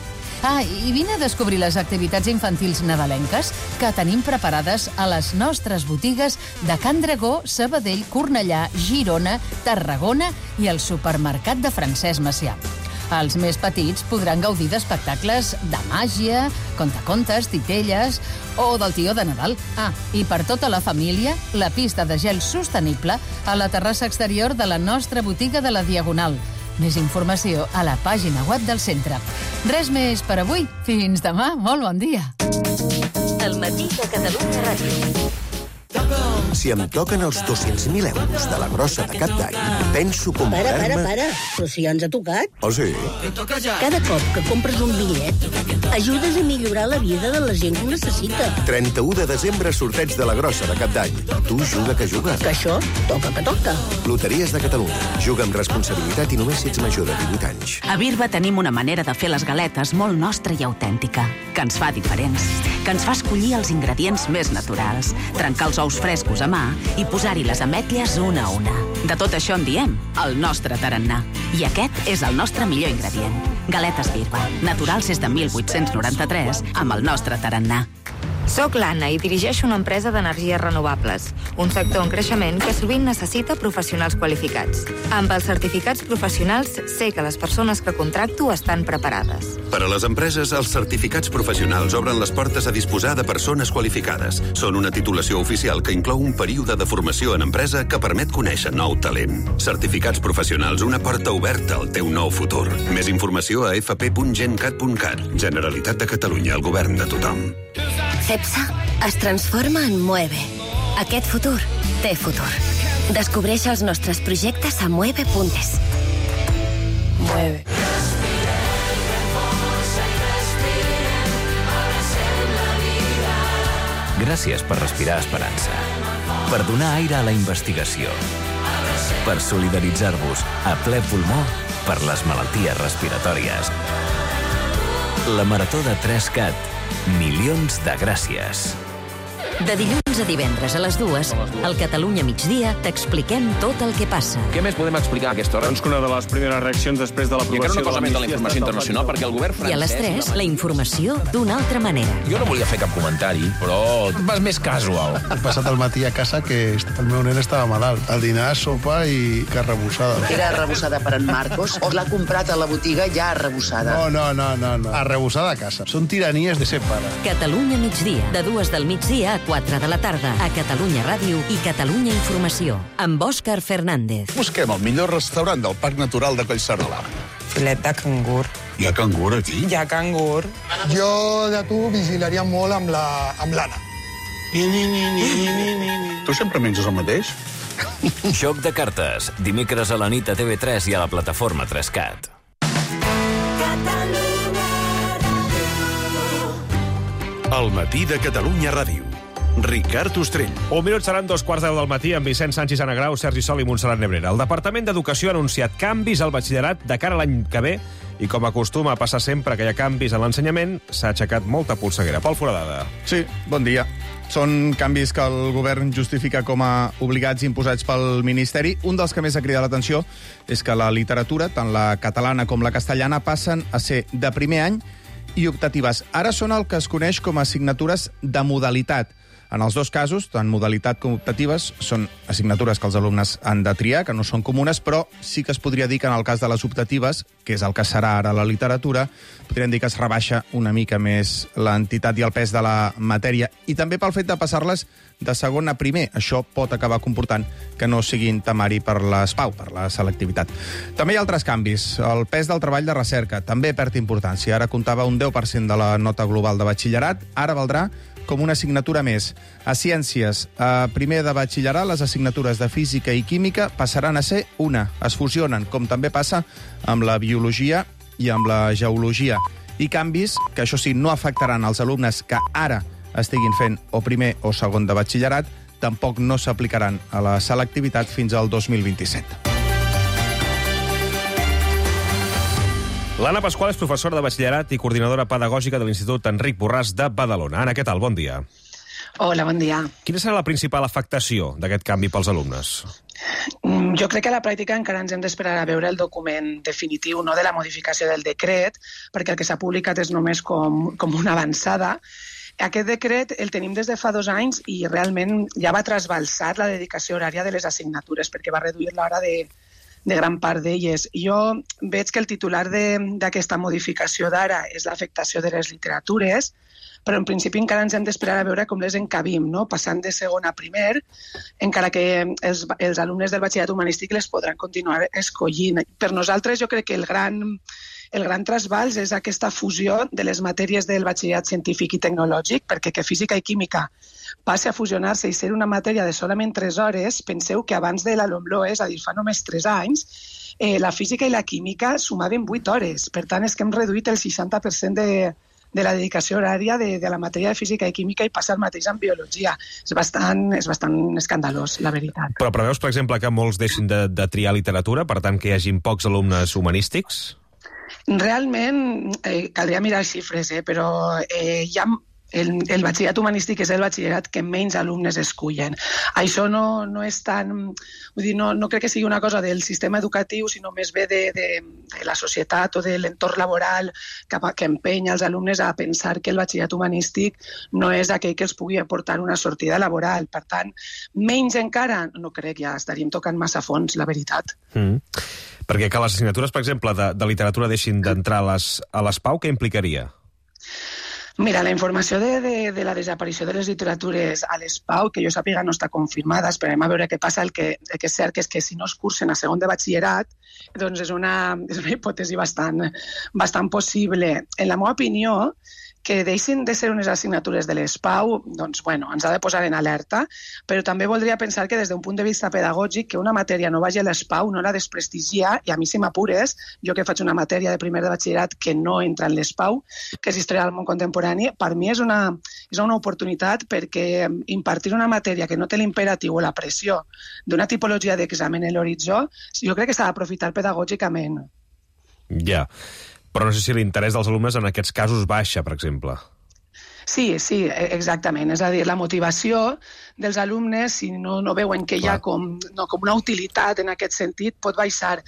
I vine a descobrir les activitats infantils nadalenques que tenim preparades a les nostres botigues de Can Dragó, Sabadell, Cornellà, Girona, Tarragona i el supermercat de Francesc Macià. Els més petits podran gaudir d'espectacles de màgia, contacontes, titelles o del tió de Nadal. I per tota la família, la pista de gel sostenible a la terrassa exterior de la nostra botiga de la Diagonal. Més informació a la pàgina web del centre. Res més per avui. Fins demà. Molt bon dia. El matí de Catalunya Ràdio. Si em toquen els 200.000 euros de la grossa de cap d'any, penso comprar-me... Para. Però si ja ens ha tocat. Oh, sí? Cada cop que compres un bitllet, ajudes a millorar la vida de la gent que ho necessita. 31 de desembre, sorteig de la grossa de cap d'any. Tu juga que juga. Que això toca que toca. Loteries de Catalunya. Juga amb responsabilitat i només si ets major de 18 anys. A Birba tenim una manera de fer les galetes molt nostra i autèntica, que ens fa diferents, que ens fa escollir els ingredients més naturals, trencar els ous frescos a mà i posar-hi les ametlles una a una. De tot això en diem el nostre tarannà. I aquest és el nostre millor ingredient. Galetes Birba, naturals des de 1893, amb el nostre tarannà. Soc l'Anna i dirigeixo una empresa d'energies renovables, un sector en creixement que sovint necessita professionals qualificats. Amb els certificats professionals sé que les persones que contracto estan preparades. Per a les empreses, els certificats professionals obren les portes a disposar de persones qualificades. Són una titulació oficial que inclou un període de formació en empresa que permet conèixer nou talent. Certificats professionals, una porta oberta al teu nou futur. Més informació a fp.gencat.cat. Generalitat de Catalunya, el govern de tothom. CEPSA es transforma en Mueve. Aquest futur té futur. Descobreix els nostres projectes a mueve.es. Mueve. Gràcies per respirar esperança. Per donar aire a la investigació. Per solidaritzar-vos a ple pulmó per les malalties respiratòries. La Marató de 3CAT. Milions de gràcies. De dilluns a divendres a les 2, al Catalunya Migdia, t'expliquem tot el que passa. Què més podem explicar a aquesta hora? Doncs que una de les primeres reaccions després de l'aprovació... I encara una cosa més de la informació internacional, perquè el govern francès... I a les 3, la informació d'una altra manera. Jo no volia fer cap comentari, però vas més casual. He passat el matí a casa que el meu nen estava malalt. Al dinar, sopa i carn arrebossada. Era arrebossada per en Marcos o l'ha comprat a la botiga ja arrebossada? No. Arrebossada a casa. Són tiranies de ser pare. Catalunya Migdia, de 2 del migdia a 4 de la tarda, a Catalunya Ràdio i Catalunya Informació, amb Òscar Fernández. Busquem el millor restaurant del Parc Natural de Collserola. Filet de cangur. Hi ha cangur aquí? Hi ha cangur. Jo de tu vigilaria molt amb l'Anna. Tu sempre menges el mateix? Joc de cartes, dimecres a la nit a TV3 i a la plataforma 3CAT. El matí de Catalunya Ràdio. Ricard Ostrell. Un minut seran 2:15 del matí amb Vicent Sánchez, Anna Grau, Sergi Sol i Montserrat Nebrera. El Departament d'Educació ha anunciat canvis al batxillerat de cara a l'any que ve i, com acostuma a passar sempre que hi ha canvis en l'ensenyament, s'ha aixecat molta polseguera. Pol Foradada. Sí, bon dia. Són canvis que el govern justifica com a obligats imposats pel Ministeri. Un dels que més ha cridat l'atenció és que la literatura, tant la catalana com la castellana, passen a ser de primer any i optatives. Ara són el que es coneix com a assignatures de modalitat. En els dos casos, tant modalitat com optatives, són assignatures que els alumnes han de triar, que no són comunes, però sí que es podria dir que en el cas de les optatives, que és el que serà ara la literatura, podríem dir que es rebaixa una mica més l'entitat i el pes de la matèria, i també pel fet de passar-les de segon a primer. Això pot acabar comportant que no siguin temari per les PAU, per la selectivitat. També hi ha altres canvis. El pes del treball de recerca també perd importància. Ara comptava un 10% de la nota global de batxillerat, ara valdrà com una assignatura més. A Ciències, a primer de batxillerat, les assignatures de Física i Química passaran a ser una. Es fusionen, com també passa amb la Biologia i amb la Geologia. I canvis que, això sí, no afectaran els alumnes que ara estiguin fent o primer o segon de batxillerat, tampoc no s'aplicaran a la selectivitat fins al 2027. L'Anna Pasqual és professora de batxillerat i coordinadora pedagògica de l'Institut Enric Borràs de Badalona. Anna, què tal? Bon dia. Hola, bon dia. Quina serà la principal afectació d'aquest canvi pels alumnes? Jo crec que a la pràctica encara ens hem d'esperar a veure el document definitiu, no de la modificació del decret, perquè el que s'ha publicat és només com una avançada. Aquest decret el tenim des de fa 2 anys i realment ja va trasbalsar la dedicació horària de les assignatures, perquè va reduir l'hora de gran part d'elles. Jo veig que el titular d'aquesta modificació d'ara és l'afectació de les literatures, però en principi encara ens hem d'esperar a veure com les encabim, no? Passant de segon a primer, encara que els alumnes del batxillerat humanístic les podran continuar escollint. Per nosaltres jo crec que el gran trasbals és aquesta fusió de les matèries del batxillerat científic i tecnològic, perquè que física i química passi a fusionar-se i ser una matèria de solament 3 hores, penseu que abans de la LOMLOE, és a dir, fa només 3 anys, la física i la química sumaven 8 hores. Per tant, és que hem reduït el 60% de la dedicació horària de la matèria de física i química i passa el mateix amb biologia. És bastant escandalós, la veritat. Però preveus, per exemple, que molts deixin de triar literatura, per tant, que hi hagin pocs alumnes humanístics? Realment, caldria mirar xifres, però hi ha el batxillerat humanístic és el batxillerat que menys alumnes escullen. Això no és tan... Vull dir, no crec que sigui una cosa del sistema educatiu, sinó més bé de la societat o de l'entorn laboral que empenya els alumnes a pensar que el batxillerat humanístic no és aquell que els pugui aportar una sortida laboral. Per tant, menys encara, no crec, ja estaríem tocant massa fons, la veritat. Perquè que les assignatures, per exemple, de literatura deixin d'entrar a les PAU, què implicaria? Mira, la informació de la desaparició de les literatures a les PAU, que jo sàpiga no està confirmada, esperem a veure què passa. El que és cert és que si no es cursen a segon de batxillerat, doncs és una hipòtesi bastant possible. En la meva opinió, que deixin de ser unes assignatures de les PAU, doncs, bueno, ens ha de posar en alerta, però també voldria pensar que des d'un punt de vista pedagògic que una matèria no vagi a les PAU no la desprestigia, i a mi si m'apures, jo que faig una matèria de primer de batxillerat que no entra en les PAU, que és Història del món contemporani, per mi és una oportunitat perquè impartir una matèria que no té l'imperatiu o la pressió d'una tipologia d'examen en l'horitzó, jo crec que s'ha d'aprofitar pedagògicament. Ja. Però no sé si l'interès dels alumnes en aquests casos baixa, per exemple. Sí, exactament. És a dir, la motivació dels alumnes, si no veuen que hi ha com una utilitat en aquest sentit, pot baixar.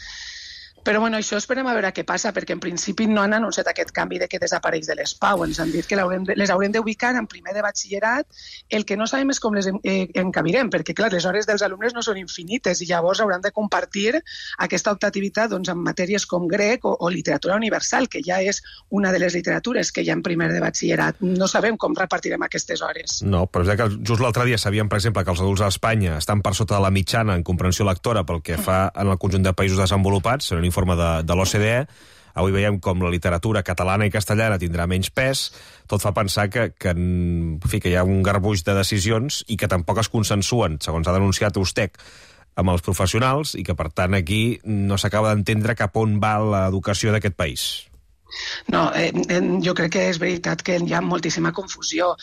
Però bueno, això esperem a veure què passa, perquè en principi no han anunciat aquest canvi de que desapareix de les PAU. Ens han dit que les haurem d'ubicar en primer de batxillerat. El que no sabem és com les encabirem, perquè clar, les hores dels alumnes no són infinites i llavors hauran de compartir aquesta optativitat doncs, amb matèries com grec o literatura universal, que ja és una de les literatures que hi ha en primer de batxillerat. No sabem com repartirem aquestes hores. No, però és que just l'altre dia sabíem, per exemple, que els adults a Espanya estan per sota de la mitjana en comprensió lectora pel que fa en el conjunt de països desenvolupats, en un informe de l'OCDE. Avui veiem com la literatura catalana i castellana tindrà menys pes. Tot fa pensar que hi ha un garbuix de decisions i que tampoc es consensuen, segons ha denunciat Ustec, amb els professionals, i que, per tant, aquí no s'acaba d'entendre cap on va l'educació d'aquest país. No, jo crec que és veritat que hi ha moltíssima confusió.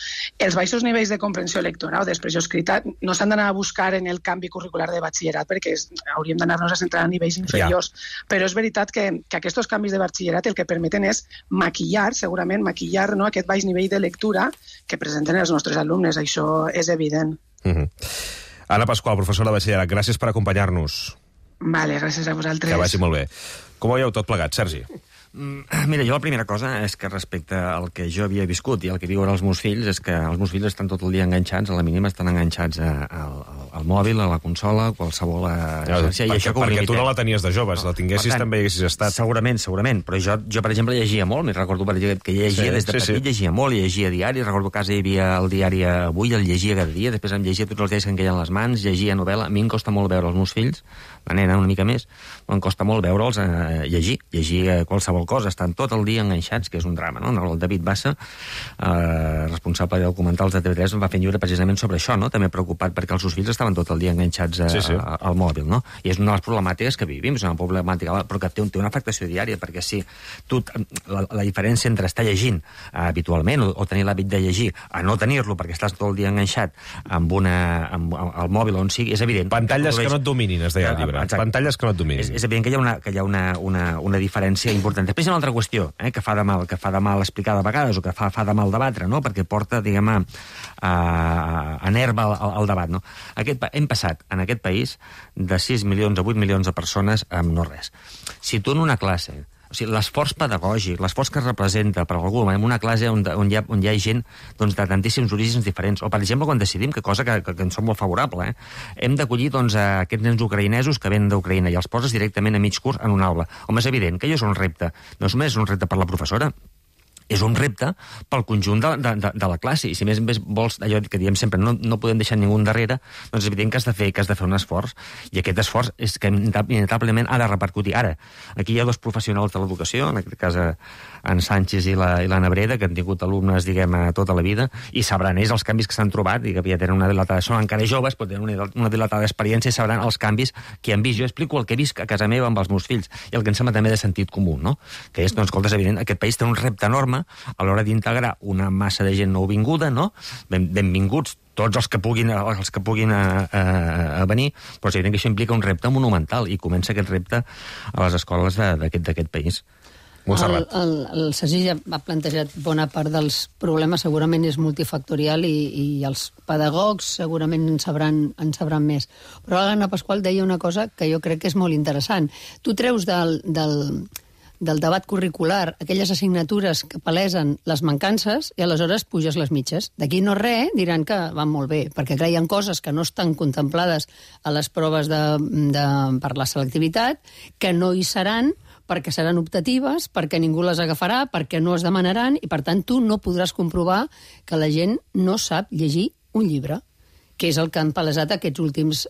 Els baixos nivells de comprensió lectora o d'expressió escrita no s'han d'anar a buscar en el canvi curricular de batxillerat, perquè hauríem d'anar-nos a centrar a nivells inferiors. Però és veritat que aquests canvis de batxillerat el que permeten és maquillar aquest baix nivell de lectura que presenten els nostres alumnes. Això és evident. Anna Pasqual, professora de batxillerat, gràcies per acompanyar-nos. Vale, gràcies a vosaltres. Que vagi molt bé. Com ho veieu tot plegat, Sergi? Mira, jo la primera cosa és que respecte al que jo havia viscut i el que viuen els meus fills, és que els meus fills estan tot el dia enganxats, a la mínima estan enganxats al mòbil, a la consola, a qualsevol xarxa. Perquè tu no la tenies de joves, la tinguessis també haguessis estat. Segurament, però jo, per exemple, llegia molt, me'n recordo que llegia des de petit, llegia molt, llegia diari, recordo que a casa hi havia el diari Avui, el llegia cada dia, després em llegia tots els diaris que em queien les mans, llegia novel·la. A mi em costa molt veure els meus fills, la nena una mica més, però em costa molt veure'ls llegir qualsevol cosa, estan tot el dia enganxats, que és un drama, no? El David Bassa, responsable de documentals de TV3, va fer un llibre precisament sobre això, no? També preocupat perquè els seus fills estaven tot el dia enganxats al mòbil, no? I és una de les problemàtiques que vivim, és una problemàtica, però que té una afectació diària, perquè si la diferència entre estar llegint habitualment o tenir l'hàbit de llegir a no tenir-lo perquè estàs tot el dia enganxat amb el mòbil on sigui, és evident. Pantalles que no et dominin, es deia el llibre. Pantalles que no et dominin. És evident que hi ha una diferència important. Després hi ha una altra qüestió, que fa de mal explicar de vegades, o que fa de mal debatre, no? Perquè porta, diguem, a nerva al debat, no? Hem passat en aquest país de 6 milions a 8 milions de persones amb no res. Si tu en una classe, o sigui, l'esforç pedagògic, l'esforç que representa per algú en una classe on hi ha gent de tantíssims orígens diferents, o per exemple quan decidim, que cosa que ens som molt favorable, hem d'acollir aquests nens ucraïnesos que venen d'Ucraïna i els poses directament a mig curs en una aula. Home, és evident que això és un repte. No només és un repte per la professora, és un repte pel conjunt de la classe. I si més vols, allò que diem sempre, no podem deixar ningú darrere, doncs és evident que has de fer un esforç. I aquest esforç és que inevitablement ha de repercutir. Ara, aquí hi ha dos professionals de l'educació, en aquest cas en Sánchez i l'Anna Breda, que han tingut alumnes, diguem, tota la vida, i sabran ells els canvis que s'han trobat, i que ja tenen una dilatada, són encara joves, però tenen una dilatada experiència i sabran els canvis que han vist. Jo explico el que he vist a casa meva amb els meus fills, i el que em sembla també de sentit comú, no? Que és, doncs, escolta, és evident, aquest país té un repte enorme a l'hora d'integrar una massa de gent nouvinguda, no? Benvinguts tots els que puguin venir, però és evident que això implica un repte monumental, i comença aquest repte a les escoles d'aquest país. El Sergi ja ha plantejat bona part dels problemes, segurament és multifactorial i els pedagogs segurament en sabran més. Però l'Anna Pasqual deia una cosa que jo crec que és molt interessant. Tu treus del debat curricular aquelles assignatures que palesen les mancances i aleshores puges les mitges. D'aquí no res, diran que van molt bé, perquè clar, hi ha coses que no estan contemplades a les proves per la selectivitat, que no hi seran perquè seran optatives, perquè ningú les agafarà, perquè no es demanaran, i per tant tu no podràs comprovar que la gent no sap llegir un llibre, que és el que han palesat aquests últims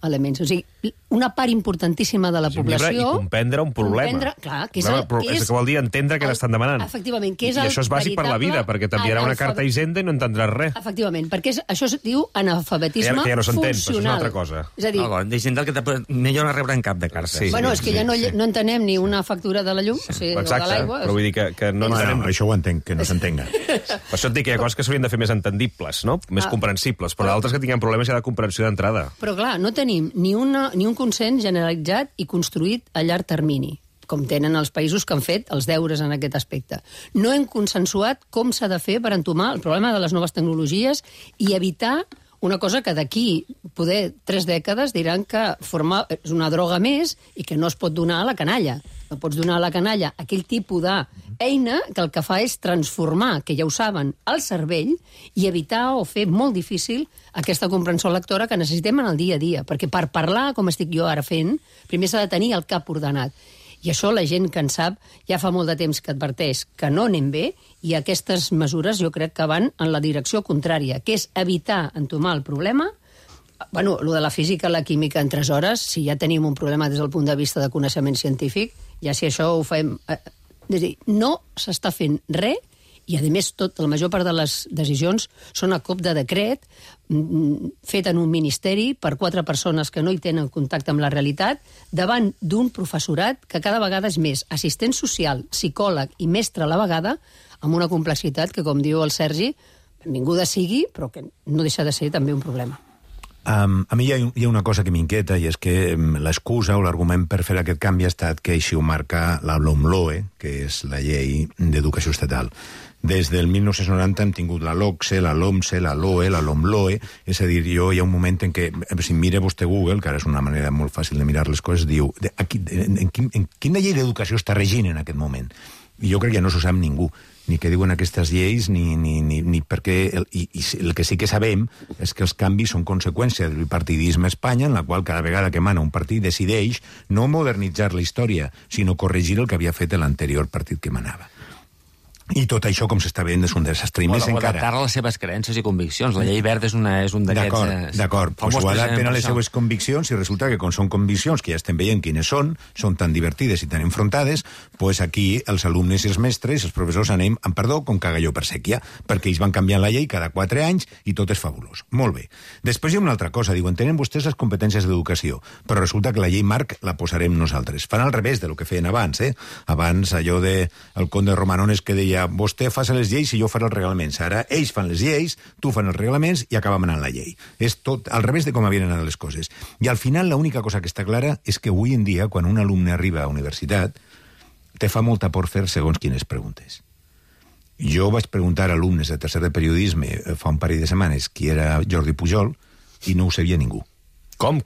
elements. O sigui, una part importantíssima de la població... I comprendre un problema. Clar, que és que vol dir entendre què t'estan demanant. Efectivament, que és I això és bàsic per la vida, perquè t'enviarà una carta a Hisenda i no entendràs res. Efectivament, perquè això es diu analfabetisme que ja no s'entén, funcional. Però és una altra cosa. És a dir... D'Hisenda el que millor no rebre en cap de cartes. Bueno, és que ja no entenem ni una factura de la llum, o de l'aigua. Però vull dir que no entenem... Això ho entenc, que no s'entenga. Per això et dic que hi ha coses que s'haurien de fer més entendibles, no? Més comprensibles, però d'altres que tinguem problemes ja de comprensió d'entrada. Però clar, no tenim ni un consens generalitzat i construït a llarg termini, com tenen els països que han fet els deures en aquest aspecte. No hem consensuat com s'ha de fer per entomar el problema de les noves tecnologies i evitar una cosa que d'aquí, poder 3 dècades, diran que és una droga més i que no es pot donar a la canalla. No pots donar a la canalla aquell tipus d'eina que el que fa és transformar, que ja ho saben, el cervell i evitar o fer molt difícil aquesta comprensió lectora que necessitem en el dia a dia. Perquè per parlar, com estic jo ara fent, primer s'ha de tenir el cap ordenat. I això la gent que en sap ja fa molt de temps que adverteix que no anem bé, i aquestes mesures jo crec que van en la direcció contrària, que és evitar entomar el problema. Bueno, lo de la física i la química en 3 hores, si ja tenim un problema des del punt de vista de coneixement científic, ja si això ho fem... És a dir, no s'està fent res, i a més la major part de les decisions són a cop de decret, fet en un ministeri per 4 persones que no hi tenen contacte amb la realitat, davant d'un professorat que cada vegada és més assistent social, psicòleg i mestre a la vegada, amb una complexitat que, com diu el Sergi, benvinguda sigui, però que no deixa de ser també un problema. A mi hi ha una cosa que m'inquieta, i és que l'excusa o l'argument per fer aquest canvi ha estat que així ho marca la LOMLOE, que és la llei d'educació estatal. Des del 1990 hem tingut la LOCSE, la LOMSE, la LOE, la LOMLOE, és a dir, hi ha un moment en què, si mira vostè Google, que ara és una manera molt fàcil de mirar les coses, diu, en quina llei d'educació està regint en aquest moment? I jo crec que no s'ho sap ningú, ni què diuen aquestes lleis, ni per què... I el que sí que sabem és que els canvis són conseqüència del bipartidisme a Espanya, en la qual cada vegada que mana un partit decideix no modernitzar la història, sinó corregir el que havia fet l'anterior partit que manava. I tot això, com s'està veient, és un desastre. I més encara... adaptar-la a les seves creences i conviccions. La llei verda és un d'aquests... D'acord, doncs ho adapten a les seves conviccions i resulta que, com són conviccions que ja estem veient quines són tan divertides i tan enfrontades, doncs aquí els alumnes i els mestres, els professors anem, amb perdó, com cagalló per sèquia, perquè ells van canviant la llei cada 4 anys i tot és fabulós. Molt bé. Després hi ha una altra cosa. Diuen, tenen vostès les competències d'educació, però resulta que la llei marc la posarem nosaltres. Fan al revés de lo que feien abans, Abans, allò de el conde Romanones que deia vostè fa les lleis i jo faré els reglaments. Ara ells fan les lleis, tu fan els reglaments i acaba manant la llei. És tot al revés de com havien anat les coses. I al final l'única cosa que està clara és que avui en dia, quan un alumne arriba a universitat, te fa molta por fer segons quines preguntes. Jo vaig preguntar a alumnes de tercer de periodisme fa un parell de setmanes qui era Jordi Pujol i no ho sabia ningú. Com?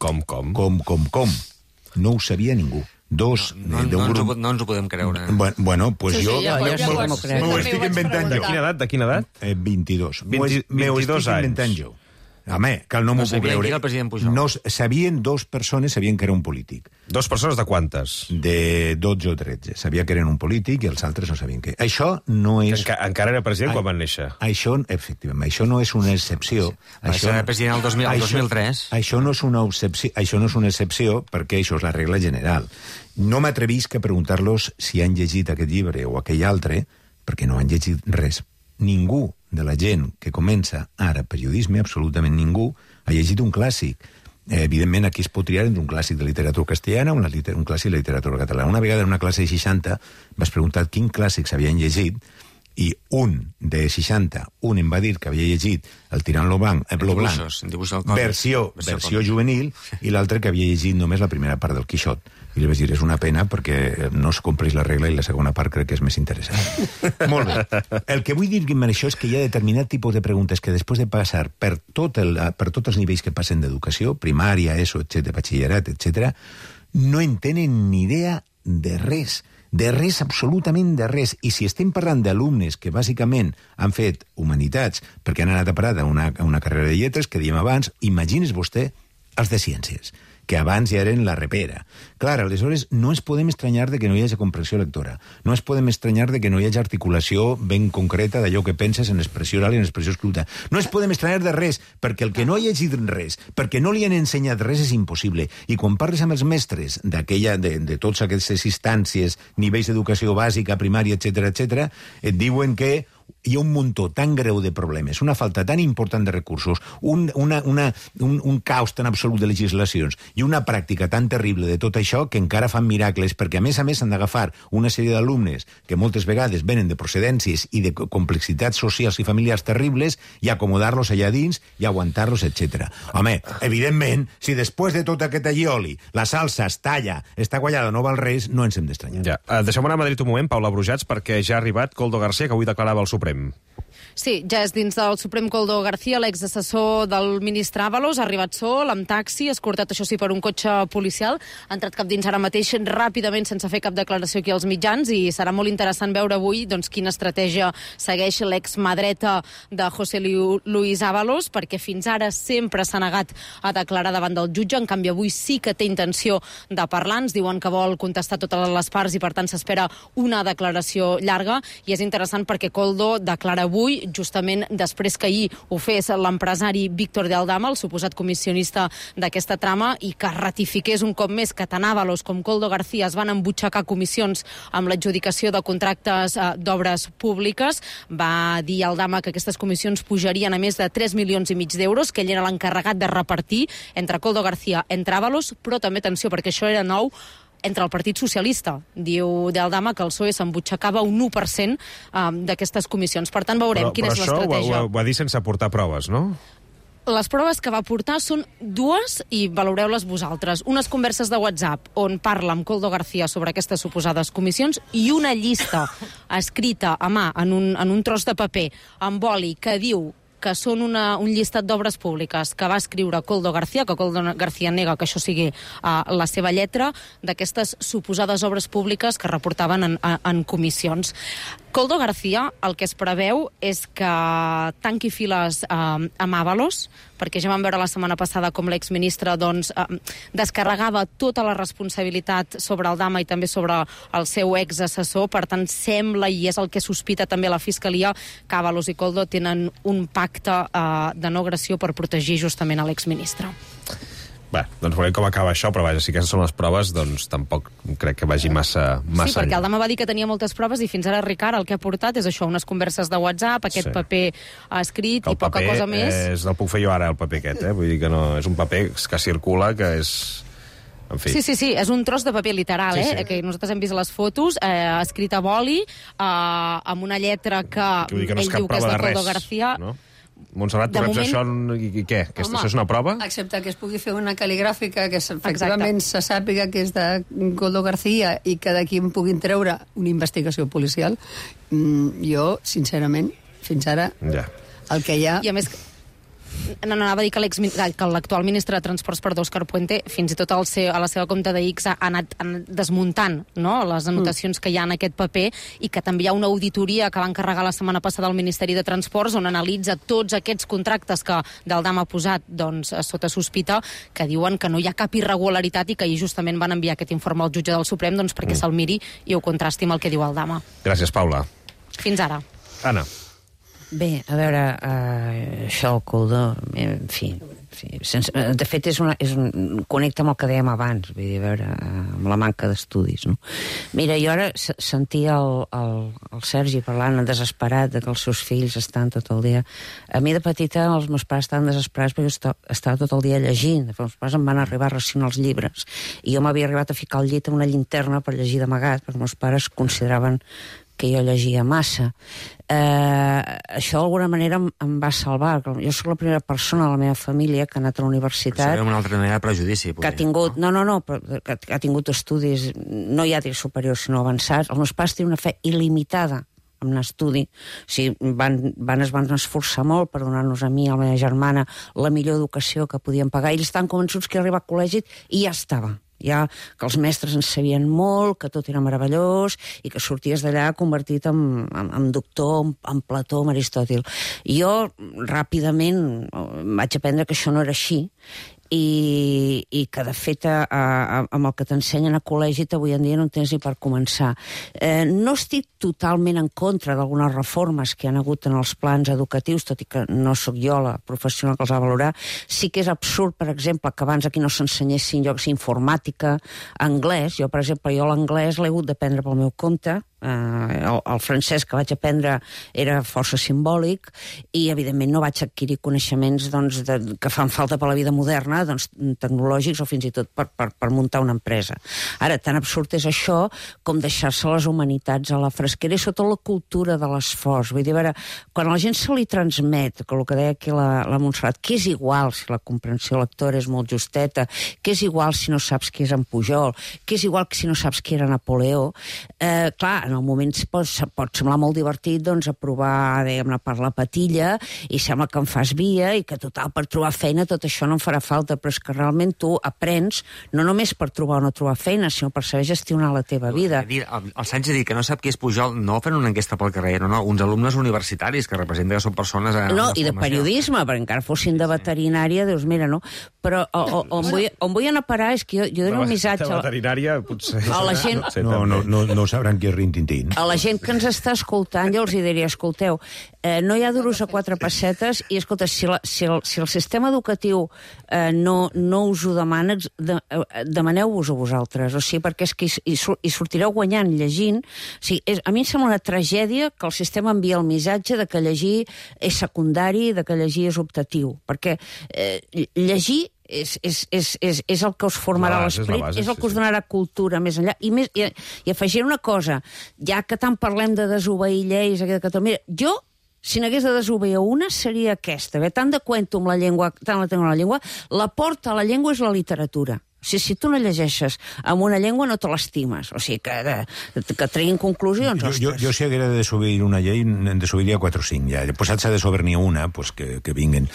No ho sabia ningú. No ens ho podem creure. Bueno, pues sí, jo... M'ho estic inventant jo. De quina edat? 22. 22 estic inventant jo. Home, que no m'ho puc creure. No, sabien 2 persones, sabien que era un polític. 2 persones de quantes? De 12 o 13. Sabia que eren un polític i els altres no sabien què. Això no és... Encara era president quan van néixer. Això, efectivament, això no és una excepció. Això era president el 2003. Això no és una excepció perquè això és la regla general. No m'atrevisc a preguntar-los si han llegit aquest llibre o aquell altre, perquè no han llegit res. Ningú de la gent que comença ara periodisme, absolutament ningú, ha llegit un clàssic. Evidentment, aquí es pot triar entre un clàssic de literatura castellana o un clàssic de literatura catalana. Una vegada en una classe de 60 vas preguntar quin clàssic s'havien llegit i un de 60, un em va dir que havia llegit El tirant lo blanc, versió juvenil, i l'altre que havia llegit només la primera part del Quixot. I li vaig dir, és una pena perquè no es compleix la regla i la segona part crec que és més interessant. Molt bé. El que vull dir amb això és que hi ha determinat tipus de preguntes que després de passar per tots els nivells que passen d'educació, primària, ESO, etc., batxillerat, etc., no en tenen ni idea de res, absolutament de res. I si estem parlant d'alumnes que bàsicament han fet humanitats perquè han anat a parar a una carrera de lletres, que diem abans, imagines vostè els de ciències, que abans ja eren la repera. Clar, aleshores no ens podem estranyar de que no hi hagi comprensió lectora, no ens podem estranyar de que no hi hagi articulació ben concreta d'allò que penses en expressió oral i en expressió escrita. No ens podem estranyar de res, perquè el que no ha llegit res, perquè no li han ensenyat res és impossible. I quan parles amb els mestres de totes aquestes instàncies, nivells d'educació bàsica, primària, etc., et diuen que hi ha un muntó tan greu de problemes, una falta tan important de recursos, un caos tan absolut de legislacions i una pràctica tan terrible de tot això que encara fan miracles, perquè a més han d'agafar una sèrie d'alumnes que moltes vegades venen de procedències i de complexitats socials i familiars terribles i acomodar-los allà dins i aguantar-los, etc. Home, evidentment, si després de tot aquest allioli la salsa es talla, està quallada, no val res, no ens hem d'estranyar. Ja. Deixem anar a Madrid un moment, Paula Brujats, perquè ja ha arribat Koldo García, que avui declarava al Suprem. Sí, ja és dins del Suprem Koldo García, l'exassessor del ministre Ábalos, ha arribat sol, amb taxi, escortat, això sí, per un cotxe policial, ha entrat cap dins ara mateix ràpidament sense fer cap declaració aquí als mitjans i serà molt interessant veure avui quina estratègia segueix l'ex-mà dreta de José Luis Ábalos, perquè fins ara sempre s'ha negat a declarar davant del jutge, en canvi avui sí que té intenció de parlar, ens diuen que vol contestar totes les parts i per tant s'espera una declaració llarga i és interessant perquè Koldo declara avui justament després que ahir ho fes l'empresari Víctor de Aldama, el suposat comissionista d'aquesta trama, i que ratifiqués un cop més que tant Ábalos com Koldo García es van embutxacar comissions amb l'adjudicació de contractes d'obres públiques. Va dir Aldama que aquestes comissions pujarien a més de 3,5 milions d'euros, que ell era l'encarregat de repartir entre Koldo García, entre Ábalos, però també, atenció, perquè això era nou, entre el Partit Socialista. Diu de Aldama que el PSOE s'embutxacava un 1% d'aquestes comissions. Per tant, veurem quina és l'estratègia. Però això ho va dir sense aportar proves, no? Les proves que va portar són dues i valoreu-les vosaltres. Unes converses de WhatsApp on parla amb Koldo García sobre aquestes suposades comissions i una llista escrita a mà en un tros de paper amb boli que diu que són un llistat d'obres públiques que va escriure Koldo García, que Koldo García nega que això sigui la seva lletra, d'aquestes suposades obres públiques que reportaven en comissions. Koldo García, el que es preveu és que tanqui files amb Ábalos, perquè ja vam veure la setmana passada com l'exministre descarregava tota la responsabilitat sobre el Dama i també sobre el seu exassessor. Per tant, sembla, i és el que sospita també la Fiscalia, que Ábalos i Koldo tenen un pacte de no agressió per protegir justament a l'exministre. Bé, doncs veurem com acaba això, però vaja, si aquestes són les proves, doncs tampoc crec que vagi massa Sí, perquè el Dama va dir que tenia moltes proves i fins ara, Ricard, el que ha portat és això, unes converses de WhatsApp, aquest paper escrit i poca cosa més. El puc fer jo ara, el paper aquest, vull dir que no, és un paper que circula, que és... En fi. Sí, és un tros de paper literal, que nosaltres hem vist les fotos, escrit a boli, amb una lletra que ell diu que és de Koldo García. No? Montserrat, tu reps això i què? Això és una prova? Excepte que es pugui fer una cal·ligràfica que efectivament se sàpiga que és de Koldo García i que d'aquí en puguin treure una investigació policial. Jo, sincerament, fins ara, el que hi ha... I a més... No, anava a dir que l'actual ministre de Transports, Òscar Puente, fins i tot a la seva compte de X ha anat desmuntant les anotacions que hi ha en aquest paper i que també hi ha una auditoria que va encarregar la setmana passada al Ministeri de Transports on analitza tots aquests contractes que del Dama ha posat sota sospita, que diuen que no hi ha cap irregularitat i que ahir justament van enviar aquest informe al jutge del Suprem perquè se'l miri i ho contrasti amb el que diu el Dama. Gràcies, Paula. Fins ara. Anna. Bé, a veure, això el Koldo, en fi, de fet connecta amb el que dèiem abans, vull dir, a veure, amb la manca d'estudis, no? Mira, jo ara sentia el Sergi parlant desesperat de que els seus fills estan tot el dia. A mi de petita els meus pares estaven desesperats perquè estava tot el dia llegint. Els meus pares em van arribar a racionar els llibres i jo m'havia arribat a ficar al llit amb una llinterna per llegir d'amagat, perquè els meus pares consideraven que jo llegia massa. Això d'alguna manera em va salvar. Jo soc la primera persona de la meva família que ha anat a la universitat... Això una altra manera de prejudici. Que ha tingut... No, que ha tingut estudis, no ja dir superiors, sinó avançats. Els meus pares tenen una fe il·limitada en l'estudi. O sigui, es van esforçar molt per donar-nos a mi i a la meva germana la millor educació que podien pagar. Ells estan convençuts que arribar al col·legi i ja estava. Ja que els mestres en sabien molt, que tot era meravellós i que sorties d'allà convertit en doctor, en Plató, en Aristòtil. Jo ràpidament vaig aprendre que això no era així i que, de fet, amb el que t'ensenyen a col·legi avui en dia no en tens ni per començar. No estic totalment en contra d'algunes reformes que hi ha hagut en els plans educatius, tot i que no sóc jo la professional que els ha de valorar. Sí que és absurd, per exemple, que abans aquí no s'ensenyessin llocs informàtica, anglès. Jo, per exemple, l'anglès l'he hagut d'aprendre pel meu compte. El francès que vaig aprendre era força simbòlic i, evidentment, no vaig adquirir coneixements que fan falta per la vida moderna, tecnològics o fins i tot per muntar una empresa. Ara, tan absurd és això com deixar-se les humanitats a la fresquera i sota la cultura de l'esforç. Vull dir, a veure, quan a la gent se li transmet, que el que deia aquí la Montserrat, que és igual si la comprensió lectora és molt justeta, que és igual si no saps qui és en Pujol, que és igual que si no saps qui era Napoleó, clar, en el moment pot semblar molt divertit aprovar, diguem-ne, per la patilla i sembla que em fas via i que, total, per trobar feina tot això no em farà falta, però és que realment tu aprens no només per trobar o no trobar feina, sinó per saber gestionar la teva vida. El Sánchez ha dit que no sap qui és Pujol, no fent una enquesta pel carrer, no, uns alumnes universitaris que representen que són persones... No, i de periodisme, perquè encara fossin de veterinària, dius, mira, no? Però on vull anar a parar és que jo dono un missatge... De veterinària, potser... A la gent... No sabran qui és Rintintín. A la gent que ens està escoltant, jo els diria, escolteu, no hi ha duros a 4 pessetes i, escolta, si el sistema educatiu no us ho demana, demaneu-vos a vosaltres, o sigui, perquè és que hi sortireu guanyant llegint. O sigui, a mi em sembla una tragèdia que el sistema envia el missatge de que llegir és secundari, de que llegir és optatiu, perquè llegir és el que us formarà l'esperit, és el que us donarà cultura més enllà. I afegiré una cosa, ja que tant parlem de desobeir lleis aquí de Catalunya, jo si n'hagués de desobeir una, seria aquesta. Tant de cuento amb la llengua, tant la tengo en la llengua, la porta a la llengua és la literatura. O sigui, si tu no llegeixes amb una llengua no te l'estimes. O sigui, que treguin conclusions. Jo si haguera de desobeir una llei, en desobeiria 4 o 5, ja. Posat s'ha de desobeir una, pues que vinguen.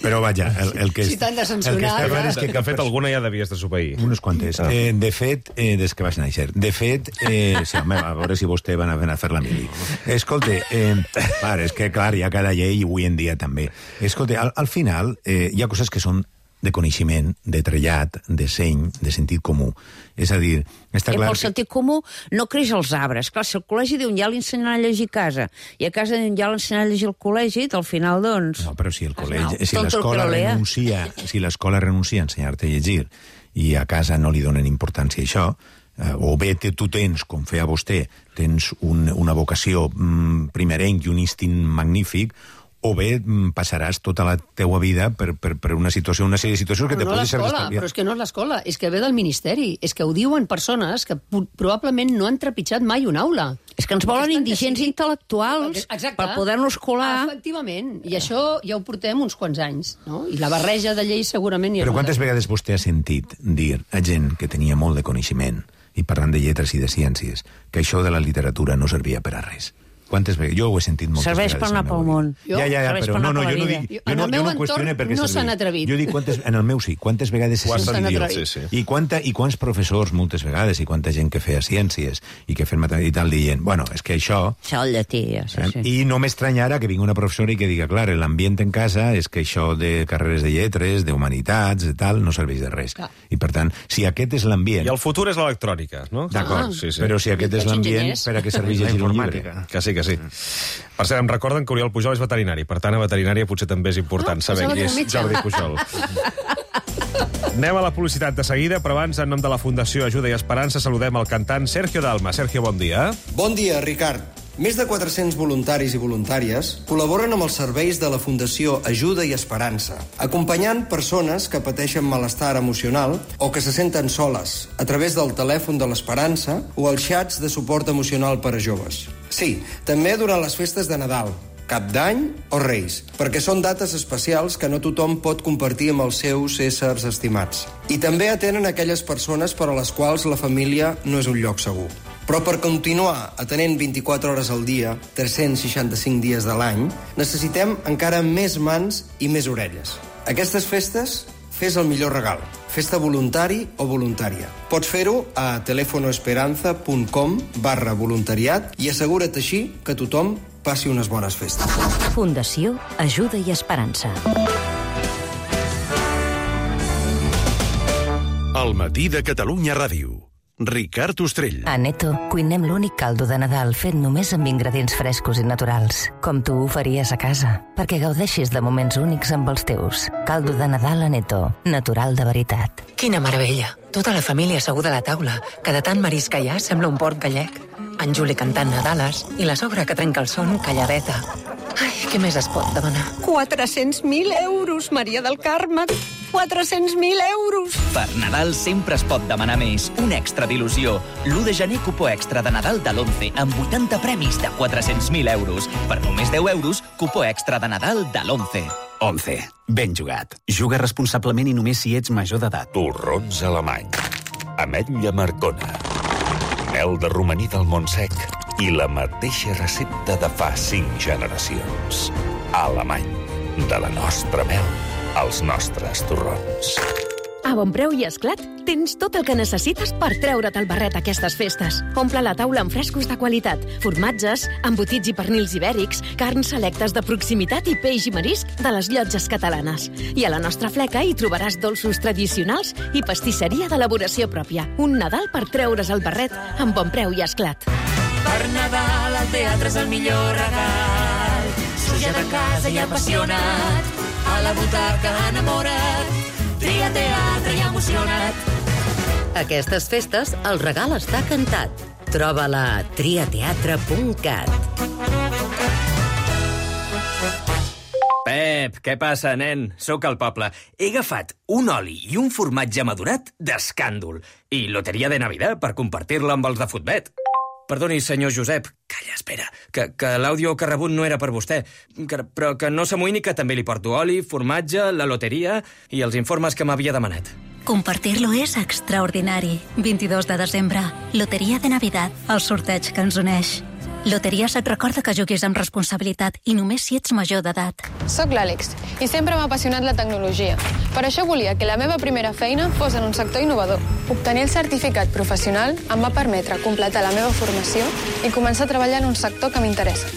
Però vaja, el que... Si t'han de censurar... De fet, alguna ja devies desobeir. Unes quantes. De fet, des que vaig néixer. De fet, sí, home, a veure si vostè van a fer la mili. Escolta, és que, clar, hi ha cada llei, avui en dia també. Escolta, al final, hi ha coses que són de coneixement, de trellat, de seny, de sentit comú. És a dir, està clar... El sentit comú no creix als arbres. Clar, si al col·legi d'un ja l'ensenyaran a llegir a casa i a casa d'un ja l'ensenyaran a llegir al col·legi, al final, doncs... No, però si el col·legi... Si l'escola renuncia a ensenyar-te a llegir i a casa no li donen importància a això, o bé tu tens, com feia vostè, tens una vocació primerenc i un instint magnífic, o bé passaràs tota la teua vida per una situació, una sèrie de situacions que te poden ser estalviar. Però és que no és l'escola, és que ve del Ministeri. És que ho diuen persones que probablement no han trepitjat mai una aula. És que ens volen indigents intel·lectuals per poder-nos colar. Efectivament, i això ja ho portem uns quants anys, no? I la barreja de lleis segurament... Però quantes vegades vostè ha sentit dir a gent que tenia molt de coneixement, i parlant de lletres i de ciències, que això de la literatura no servia per a res? Quantes vegades? Jo ho he sentit moltes vegades. Serveix per anar pel món. Ja, però no, jo no dic... En el meu entorn no s'han atrevit. Jo dic, en el meu sí, quantes vegades s'han atrevit. I quants professors, moltes vegades, i quanta gent que feia ciències i que feia matemàtiques i tal, dient, bueno, és que això... Això el llatí, sí. I no m'estranyarà que vingui una professora i que diga, clar, l'ambient en casa és que això de carreres de lletres, d'humanitats, de tal, no serveix de res. I per tant, si aquest és l'ambient... I el futur és l'electrònica, no? D'acord, però si aquest és l'ambient, per a què serveix llegir un llibre? Que sí. Per cert, em recorden que Oriol Pujol és veterinari, per tant, a veterinària potser també és important saber qui és Jordi Pujol. Anem a la publicitat de seguida, però abans, en nom de la Fundació Ajuda i Esperança, saludem el cantant Sergio Dalma. Sergio, bon dia. Bon dia, Ricard. Més de 400 voluntaris i voluntàries col·laboren amb els serveis de la Fundació Ajuda i Esperança, acompanyant persones que pateixen malestar emocional o que se senten soles a través del telèfon de l'Esperança o els xats de suport emocional per a joves. Sí, també durant les festes de Nadal, Cap d'Any o Reis, perquè són dates especials que no tothom pot compartir amb els seus éssers estimats. I també atenen aquelles persones per a les quals la família no és un lloc segur. Però per continuar atenent 24 hores al dia, 365 dies de l'any, necessitem encara més mans i més orelles. Aquestes festes, fes el millor regal. Festa voluntari o voluntària. Pots fer-ho a telefonoesperanza.com/voluntariat i assegura't així que tothom passi unes bones festes. Fundació Ajuda i Esperança. El matí de Catalunya Ràdio. Ricard Ostrell. A Neto cuinem l'únic caldo de Nadal fet només amb ingredients frescos i naturals, com tu ho faries a casa, perquè gaudeixis de moments únics amb els teus. Caldo de Nadal a Neto, natural de veritat. Quina meravella! Tota la família asseguda a la taula, que de tant marisc que hi ha sembla un port gallec. En Juli cantant Nadales i la sogra que trenca el son calladeta. Ai, què més es pot demanar? 400.000 euros, Maria del Carme! 400.000 euros! Per Nadal sempre es pot demanar més. Un extra d'il·lusió. L'1 de gener, cupó extra de Nadal de l'11, amb 80 premis de 400.000 euros. Per només 10 euros, cupó extra de Nadal de l'11. 11. Ben jugat. Juga responsablement i només si ets major d'edat. Torrons alemany. Ametlla Marcona. Mel de romaní del Montsec. I la mateixa recepta de fa 5 generacions. Alemany. De la nostra mel als nostres torrons. A Bonpreu i Esclat tens tot el que necessites per treure't el barret aquestes festes. Omple la taula amb frescos de qualitat, formatges, embotits i pernils ibèrics, carns selectes de proximitat i peix i marisc de les llotges catalanes. I a la nostra fleca hi trobaràs dolços tradicionals i pastisseria d'elaboració pròpia. Un Nadal per treure's el barret amb Bonpreu i Esclat. Per Nadal el teatre és el millor regal. Suja de casa i apassionat, a la butaca enamorat, tria teatre i emocionat. Aquestes festes el regal està cantat. Troba-la a triateatre.cat. Pep, què passa, nen? Sóc al poble. He agafat un oli i un formatge madurat d'escàndol i loteria de Navidad per compartir-la amb els de Futbet. Perdoni, senyor Josep. Calla, espera, que l'àudio que ha rebut no era per vostè. Però que no s'amoïni, que també li porto oli, formatge, la loteria i els informes que m'havia demanat. Compartir-lo és extraordinari. 22 de desembre, Loteria de Navidad, el sorteig que ens uneix. Loteries et recorda que juguis amb responsabilitat i només si ets major d'edat. Soc l'Àlex i sempre m'ha apassionat la tecnologia. Per això volia que la meva primera feina fos en un sector innovador. Obtenir el certificat professional em va permetre completar la meva formació i començar a treballar en un sector que m'interessa.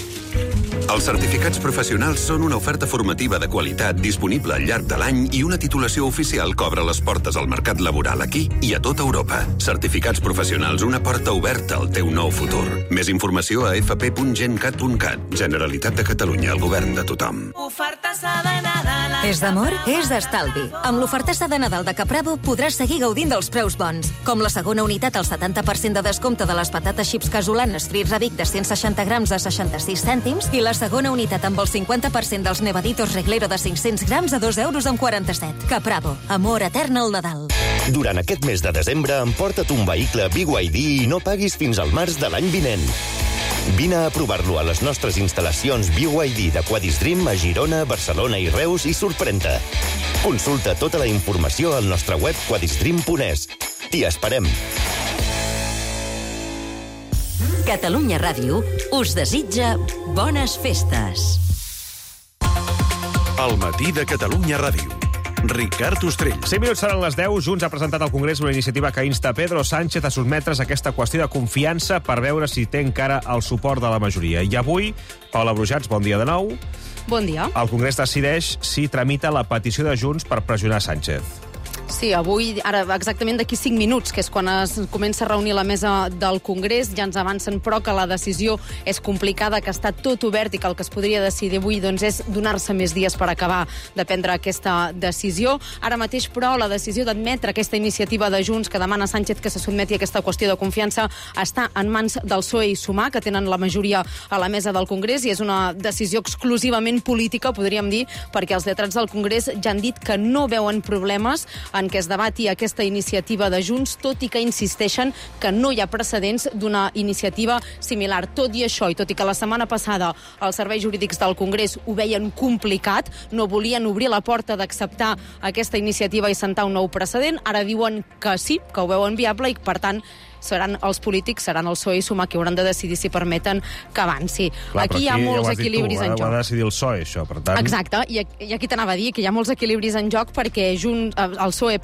Els certificats professionals són una oferta formativa de qualitat disponible al llarg de l'any i una titulació oficial que obre les portes al mercat laboral aquí i a tota Europa. Certificats professionals, una porta oberta al teu nou futur. Més informació a fp.gencat.cat. Generalitat de Catalunya, el govern de tothom. Ofertassa de Nadal. És d'amor? És d'estalvi. Amb l'ofertassa de Nadal de Capravo podràs seguir gaudint dels preus bons, com la segona unitat al 70% de descompte de les patates xips casolanes Frits a Vic de 160 grams a 66 cèntims i la segona unitat amb el 50% dels Nevaditos Reglero de 500 grams a 2,47 €. Capravo, amor etern al Nadal. Durant aquest mes de desembre, emporta't un vehicle BYD i no paguis fins al març de l'any vinent. Vine a provar-lo a les nostres instal·lacions BYD d'Aquadis Dream a Girona, Barcelona i Reus i sorprèn-te. Consulta tota la informació al nostre web quadisdream.es. T'hi esperem. Catalunya Ràdio us desitja bones festes. El matí de Catalunya Ràdio. Ricard Ostrell. 5 minuts seran les 10. Junts ha presentat al Congrés una iniciativa que insta Pedro Sánchez a sotmetre's a aquesta qüestió de confiança per veure si té encara el suport de la majoria. I avui, Paula Brujats, bon dia de nou. Bon dia. El Congrés decideix si tramita la petició de Junts per pressionar Sánchez. Sí, avui, ara exactament d'aquí 5 minuts, que és quan es comença a reunir la mesa del Congrés, ja ens avancen, però, que la decisió és complicada, que està tot obert i que el que es podria decidir avui doncs, és donar-se més dies per acabar de prendre aquesta decisió. Ara mateix, però, la decisió d'admetre aquesta iniciativa de Junts que demana Sánchez que se sotmeti a aquesta qüestió de confiança està en mans del PSOE i Sumar, que tenen la majoria a la mesa del Congrés, i és una decisió exclusivament política, podríem dir, perquè els lletrats del Congrés ja han dit que no veuen problemes en què es debati aquesta iniciativa de Junts, tot i que insisteixen que no hi ha precedents d'una iniciativa similar. Tot i això, i tot i que la setmana passada els serveis jurídics del Congrés ho veien complicat, no volien obrir la porta d'acceptar aquesta iniciativa i sentar un nou precedent, ara diuen que sí, que ho veuen viable i, per tant, seran els polítics, seran el PSOE i Sumar que hauran de decidir si permeten que avanci. Clar, aquí hi ha molts equilibris en joc. Ho ha de decidir el PSOE, això, per tant... Exacte, i aquí t'anava a dir que hi ha molts equilibris en joc perquè el PSOE,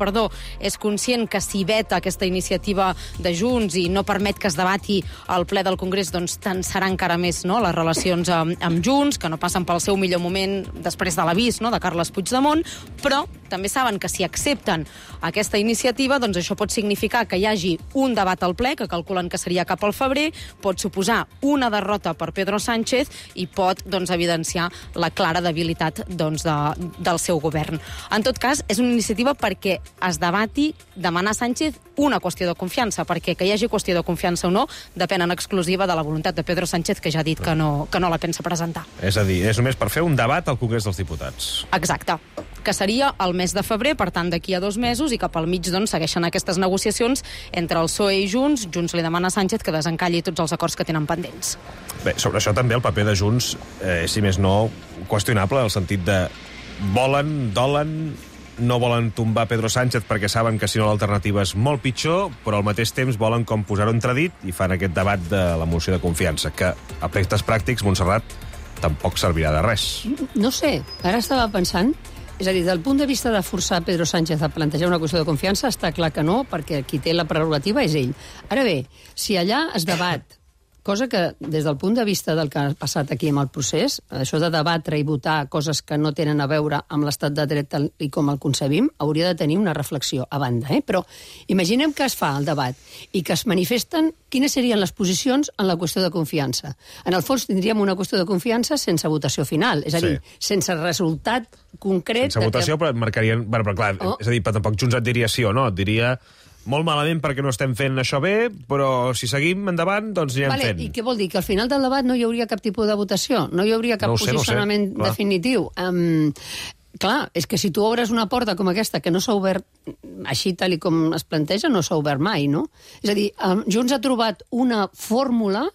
és conscient que si veta aquesta iniciativa de Junts i no permet que es debati al ple del Congrés, doncs tensarà encara més, no?, les relacions amb Junts, que no passen pel seu millor moment després de l'avís, no?, de Carles Puigdemont, però també saben que si accepten aquesta iniciativa, doncs això pot significar que hi hagi un debat al ple, que calculen que seria cap al febrer, pot suposar una derrota per Pedro Sánchez i pot, doncs, evidenciar la clara debilitat, doncs, del seu govern. En tot cas, és una iniciativa perquè es debati demanar a Sánchez una qüestió de confiança, perquè que hi hagi qüestió de confiança o no depèn en exclusiva de la voluntat de Pedro Sánchez, que ja ha dit que no la pensa presentar. És a dir, és només per fer un debat al Congrés dels Diputats. Exacte, que seria el mes de febrer, per tant, d'aquí a 2 mesos, i cap al mig, doncs, segueixen aquestes negociacions entre el PSOE i Junts. Junts li demana a Sánchez que desencalli tots els acords que tenen pendents. Bé, sobre això també el paper de Junts, si més no, qüestionable, en el sentit de dolen, no volen tombar Pedro Sánchez perquè saben que si no l'alternativa és molt pitjor, però al mateix temps volen com posar-ho entredit i fan aquest debat de la moció de confiança, que a efectes pràctics, Montserrat, tampoc servirà de res. No sé, ara estava pensant, és a dir, del punt de vista de forçar Pedro Sánchez a plantejar una qüestió de confiança, està clar que no, perquè qui té la prerrogativa és ell. Ara bé, si allà es debat, cosa que des del punt de vista del que ha passat aquí amb el procés, això de debatre i votar coses que no tenen a veure amb l'estat de dret i com el concebim, hauria de tenir una reflexió a banda. Però imaginem que es fa el debat i que es manifesten quines serien les posicions en la qüestió de confiança. En el fons tindríem una qüestió de confiança sense votació final, és a dir, sense resultat concret... Sense votació, però marcarien... Bueno, però clar, és a dir, tampoc Junts et diria sí o no, et diria... molt malament perquè no estem fent això bé, però si seguim endavant, doncs anirem fent. I què vol dir? Que al final del debat no hi hauria cap tipus de votació? No hi hauria cap posicionament definitiu? Clar, és que si tu obres una porta com aquesta que no s'ha obert així tal com es planteja, no s'ha obert mai, no? És a dir, Junts ha trobat una fórmula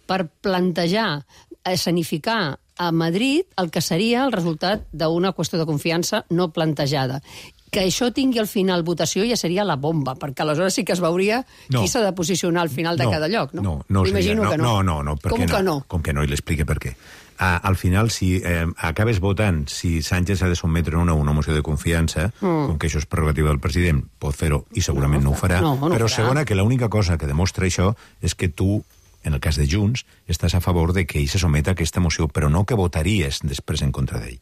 per plantejar, escenificar a Madrid el que seria el resultat d'una qüestió de confiança no plantejada. Que això tingui al final votació ja seria la bomba, perquè aleshores sí que es veuria qui s'ha de posicionar al final de cada lloc, no? M'imagino que no. No, com que no? Com que no, i l'explique per què. Al final, si acabes votant, si Sánchez ha de sotmetre una moció de confiança, com que això és prerrogativa del president, pot fer-ho, i segurament no ho farà, però segona, que l'única cosa que demostra això és que tu, en el cas de Junts, estàs a favor de que ell se someta a aquesta moció, però no que votaries després en contra d'ell.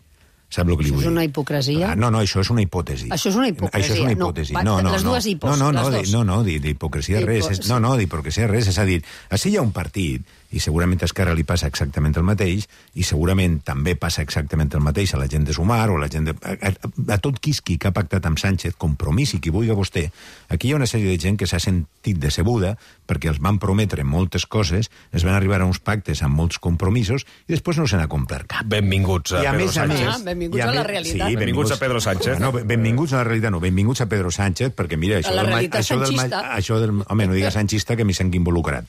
Sap el que li vull dir? Això és una hipocresia? No, això és una hipòtesi. Això és una hipocresia. Això és una hipòtesi. Les dues hipos. No, d'hipocresia res. No, d'hipocresia res. És a dir, així hi ha un partit, i segurament a Esquerra li passa exactament el mateix, i segurament també passa exactament el mateix a la gent de Sumar, o a la gent de... A tot qui que ha pactat amb Sánchez, Compromís i qui vulgui vostè, aquí hi ha una sèrie de gent que s'ha sentit decebuda perquè els van prometre moltes coses, es van arribar a uns pactes amb molts compromisos i després no se n'ha complert cap. Benvinguts a Pedro Sánchez. Benvinguts a la realitat. Sí, benvinguts a Pedro Sánchez. No, benvinguts a la realitat, no, benvinguts a Pedro Sánchez, perquè mira, això del... Home, no digues sanchista, que m'hi sent involucrat.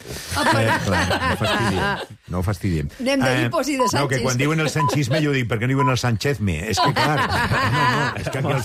No ho fastidiem. Anem de hipos i de Sánchez. No, que quan diuen el sanchisme jo dic, per què no diuen el Sánchez-me? És que clar, és que aquí